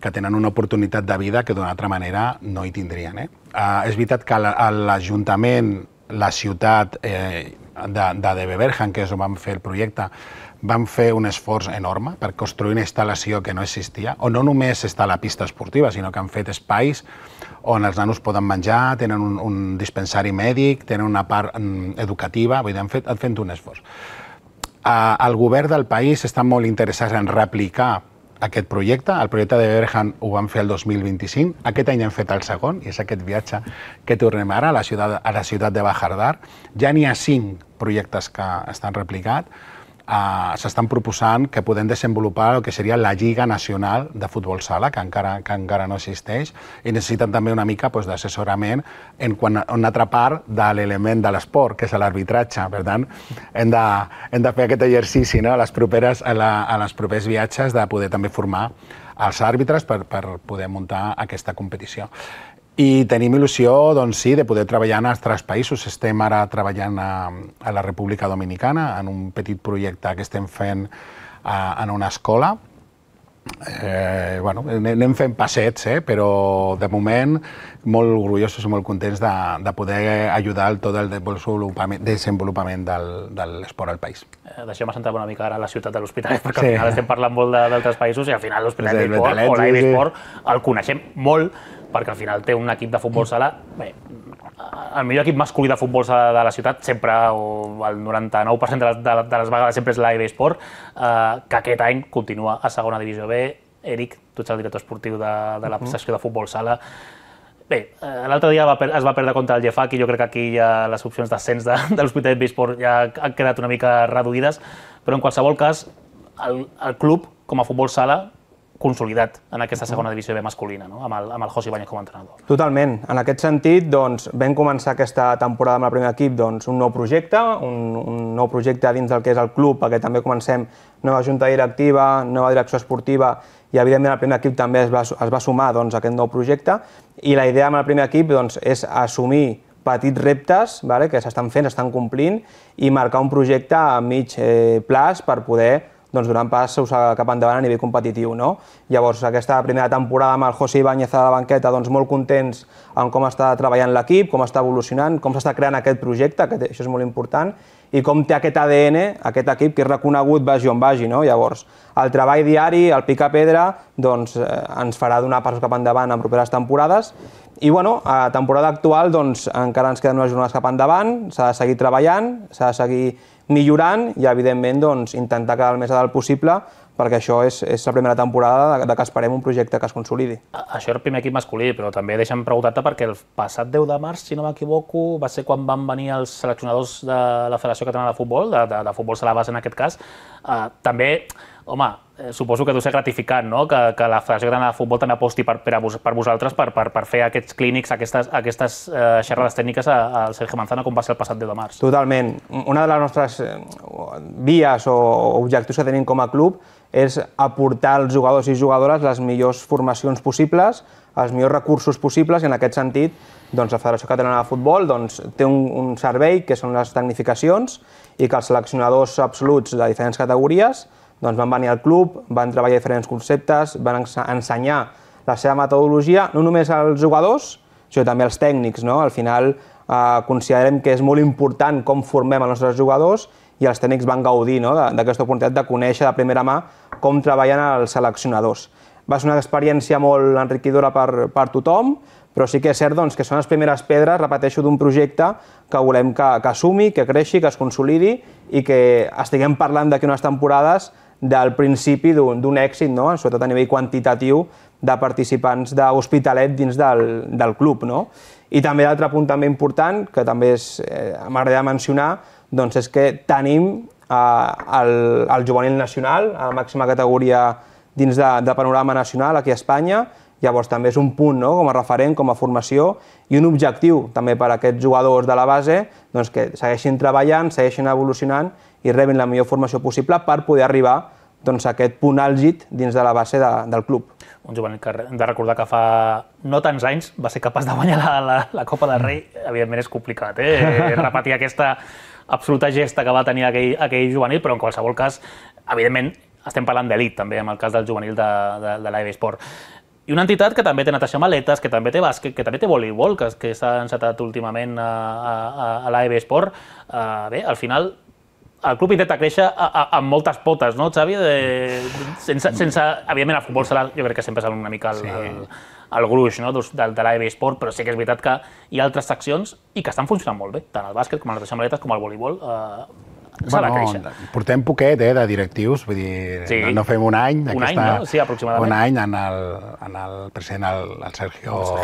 que tenen una oportunitat de vida que d'una altra manera no hi tindrien. És veritat que l'Ajuntament, la ciutat de Beverham, que és on vam fer el projecte, vam fer un esforç enorme per construir una instal·lació que no existia, on no només està la pista esportiva, sinó que han fet espais on els nanos poden menjar, tenen un dispensari mèdic, tenen una part educativa, vull dir, han fet un esforç. El govern del país està molt interessat en replicar aquest projecte. El projecte de Beverham ho vam fer el 2025. Aquest any hem fet el segon, i és aquest viatge que tornem ara a la ciutat de Bajardar. Ja n'hi ha 5 projectes que estan replicats. S'estan proposant que podem desenvolupar el que seria la Lliga Nacional de Futbol Sala, que encara no existeix, i necessiten també una mica d'assessorament en una altra part de l'element de l'esport, que és l'arbitratge. Per tant, hem de fer aquest exercici a les propers viatges de poder també formar els àrbitres per poder muntar aquesta competició. I tenim il·lusió, doncs sí, de poder treballar en altres països. Estem ara treballant a la República Dominicana en un petit projecte que estem fent en una escola. Anem fent passets, però de moment molt orgullosos i molt contents de poder ajudar a tot el desenvolupament de l'esport al país. Deixem-me centrar una mica ara a la ciutat de l'Hospitalet, perquè al final estem parlant molt d'altres països i al final l'Hospitalet d'Esport o l'AIB Esport el coneixem molt, perquè al final té un equip de futbol sala, el millor equip masculí de futbol sala de la ciutat sempre, o el 99% de les vegades sempre és l'AIB Esport, que aquest any continua a segona divisió B. Eric, tu ets el director esportiu de la secció de futbol sala. Bé, l'altre dia es va perdre contra el Llefac i jo crec que aquí ja les opcions d'ascens de l'Hospitalet Esport ja han quedat una mica reduïdes, però en qualsevol cas el club com a futbol sala consolidat en aquesta segona divisió B masculina, amb el José Ibáñez com a entrenador. Totalment. En aquest sentit, vam començar aquesta temporada amb el primer equip un nou projecte, un nou projecte dins del que és el club, perquè també comencem nova junta directiva, nova direcció esportiva, i evidentment el primer equip també es va sumar a aquest nou projecte, i la idea amb el primer equip és assumir petits reptes que s'estan fent, s'estan complint, i marcar un projecte a mig plaç per poder donant passos cap endavant a nivell competitiu. Llavors, aquesta primera temporada amb el José Ibáñez a la banqueta, molt contents amb com està treballant l'equip, com està evolucionant, com s'està creant aquest projecte, que això és molt important, i com té aquest ADN, aquest equip que és reconegut vagi on vagi. Llavors, el treball diari, el picar-pedra, ens farà donar passos cap endavant en properes temporades. I a la temporada actual encara ens queden unes jornades cap endavant, s'ha de seguir treballant, s'ha de seguir millorant i, evidentment, intentar quedar el més a dalt possible, perquè això és la primera temporada que esperem un projecte que es consolidi. Això era el primer equip masculí, però també deixa'm preguntar-te perquè el passat 10 de març, si no m'equivoco, va ser quan van venir els seleccionadors de la Federació Catalana de Futbol, de futbol sala base en aquest cas. També, home, suposo que deu ser gratificant que la Federació Catalana de Futbol també aposti per vosaltres per fer aquests clínics, aquestes xerrades tècniques al Sergio Manzano, com va ser el passat 10 de març. Totalment. Una de les nostres vies o objectius que tenim com a club és aportar als jugadors i jugadores les millors formacions possibles, els millors recursos possibles, i en aquest sentit la Federació Catalana de Futbol té un servei que són les tecnificacions i que els seleccionadors absoluts de diferents categories van venir al club, van treballar diferents conceptes, van ensenyar la seva metodologia, no només als jugadors, sinó també als tècnics. Al final considerem que és molt important com formem els nostres jugadors i els tècnics van gaudir d'aquesta oportunitat de conèixer de primera mà com treballen els seleccionadors. Va ser una experiència molt enriquidora per tothom, però sí que és cert que són les primeres pedres, repeteixo, d'un projecte que volem que sumi, que creixi, que es consolidi i que estiguem parlant d'aquí unes temporades del principi d'un èxit, sobretot a nivell quantitatiu, de participants d'Hospitalet dins del club. I també l'altre punt també important, que també m'agradaria mencionar, és que tenim el juvenil nacional, a la màxima categoria dins del panorama nacional aquí a Espanya. Llavors també és un punt com a referent, com a formació, i un objectiu també per a aquests jugadors de la base que segueixin treballant, segueixin evolucionant i rebin la millor formació possible per poder arribar a aquest punt àlgid dins de la base del club. Un juvenil que hem de recordar que fa no tants anys va ser capaç de guanyar la Copa del Rei. Evidentment és complicat repetir aquesta absoluta gesta que va tenir aquell juvenil, però en qualsevol cas, evidentment, estem parlant d'elit també, en el cas del juvenil de l'AIB Esport. I una entitat que també té natació amb aletes, que també té bàsquet, que també té voleibol, que s'ha encetat últimament a l'AEB Esport. Bé, al final, el club intenta créixer amb moltes potes, no, Xavi? Evidentment, el futbol sala jo crec que sempre és una mica el gruix de l'AEB Esport, però sí que és veritat que hi ha altres seccions i que estan funcionant molt bé, tant el bàsquet com la natació amb aletes com el voleibol. S'ha de créixer. Portem poquet de directius, vull dir, no fem un any. Un any, no? Sí, aproximadament. Un any en el president, el Sergio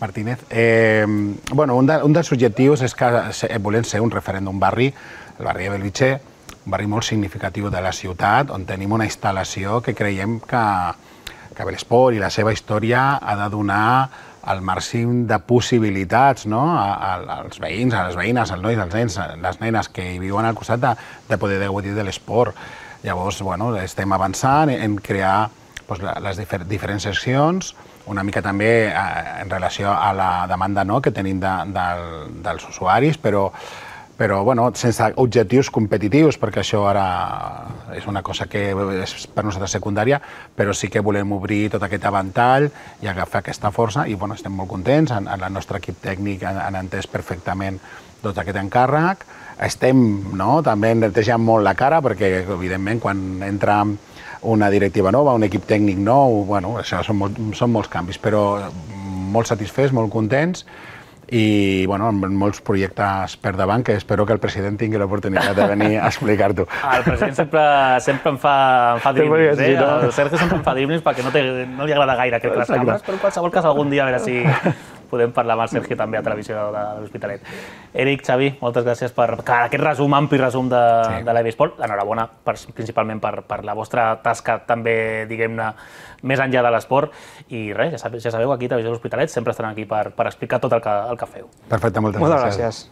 Martínez. Un dels objectius és que volem ser un referent d'un barri, el barri de Bellvitge, un barri molt significatiu de la ciutat, on tenim una instal·lació que creiem que l'esport i la seva història ha de donar el màxim de possibilitats als veïns, a les veïnes, als nois, als nens, les nenes que hi viuen al costat de poder gaudir de l'esport. Llavors, estem avançant en crear les diferents seccions, una mica també en relació a la demanda que tenim dels usuaris, però sense objectius competitius, perquè això ara és una cosa que és per nosaltres secundària, però sí que volem obrir tot aquest avantall i agafar aquesta força i estem molt contents, el nostre equip tècnic han entès perfectament tot aquest encàrrec. Estem també netejant molt la cara, perquè evidentment quan entra una directiva nova, un equip tècnic nou, això són molts canvis, però molt satisfets, molt contents, i amb molts projectes per davant que espero que el president tingui l'oportunitat de venir a explicar-t'ho. El president sempre em fa driblings, el Sergio sempre em fa driblings perquè no li agrada gaire aquest les càmeres, però en qualsevol cas algun dia a veure si podem parlar amb el Sergio també a Televisió de l'Hospitalet. Eric, Xavi, moltes gràcies per aquest ampli resum de l'AEB Esport. Enhorabona principalment per la vostra tasca també, diguem-ne, més enllà de l'esport. I res, ja sabeu, aquí a Televisió de l'Hospitalet sempre estan aquí per explicar tot el que feu. Perfecte, moltes gràcies.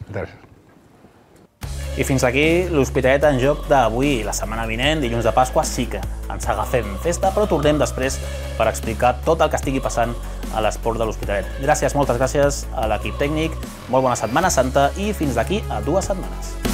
I fins aquí l'Hospitalet en joc d'avui. La setmana vinent, dilluns de Pasqua, sí que ens agafem festa, però tornem després per explicar tot el que estigui passant a l'esport de l'Hospitalet. Gràcies, moltes gràcies a l'equip tècnic, molt bona Setmana Santa i fins d'aquí a 2 setmanes.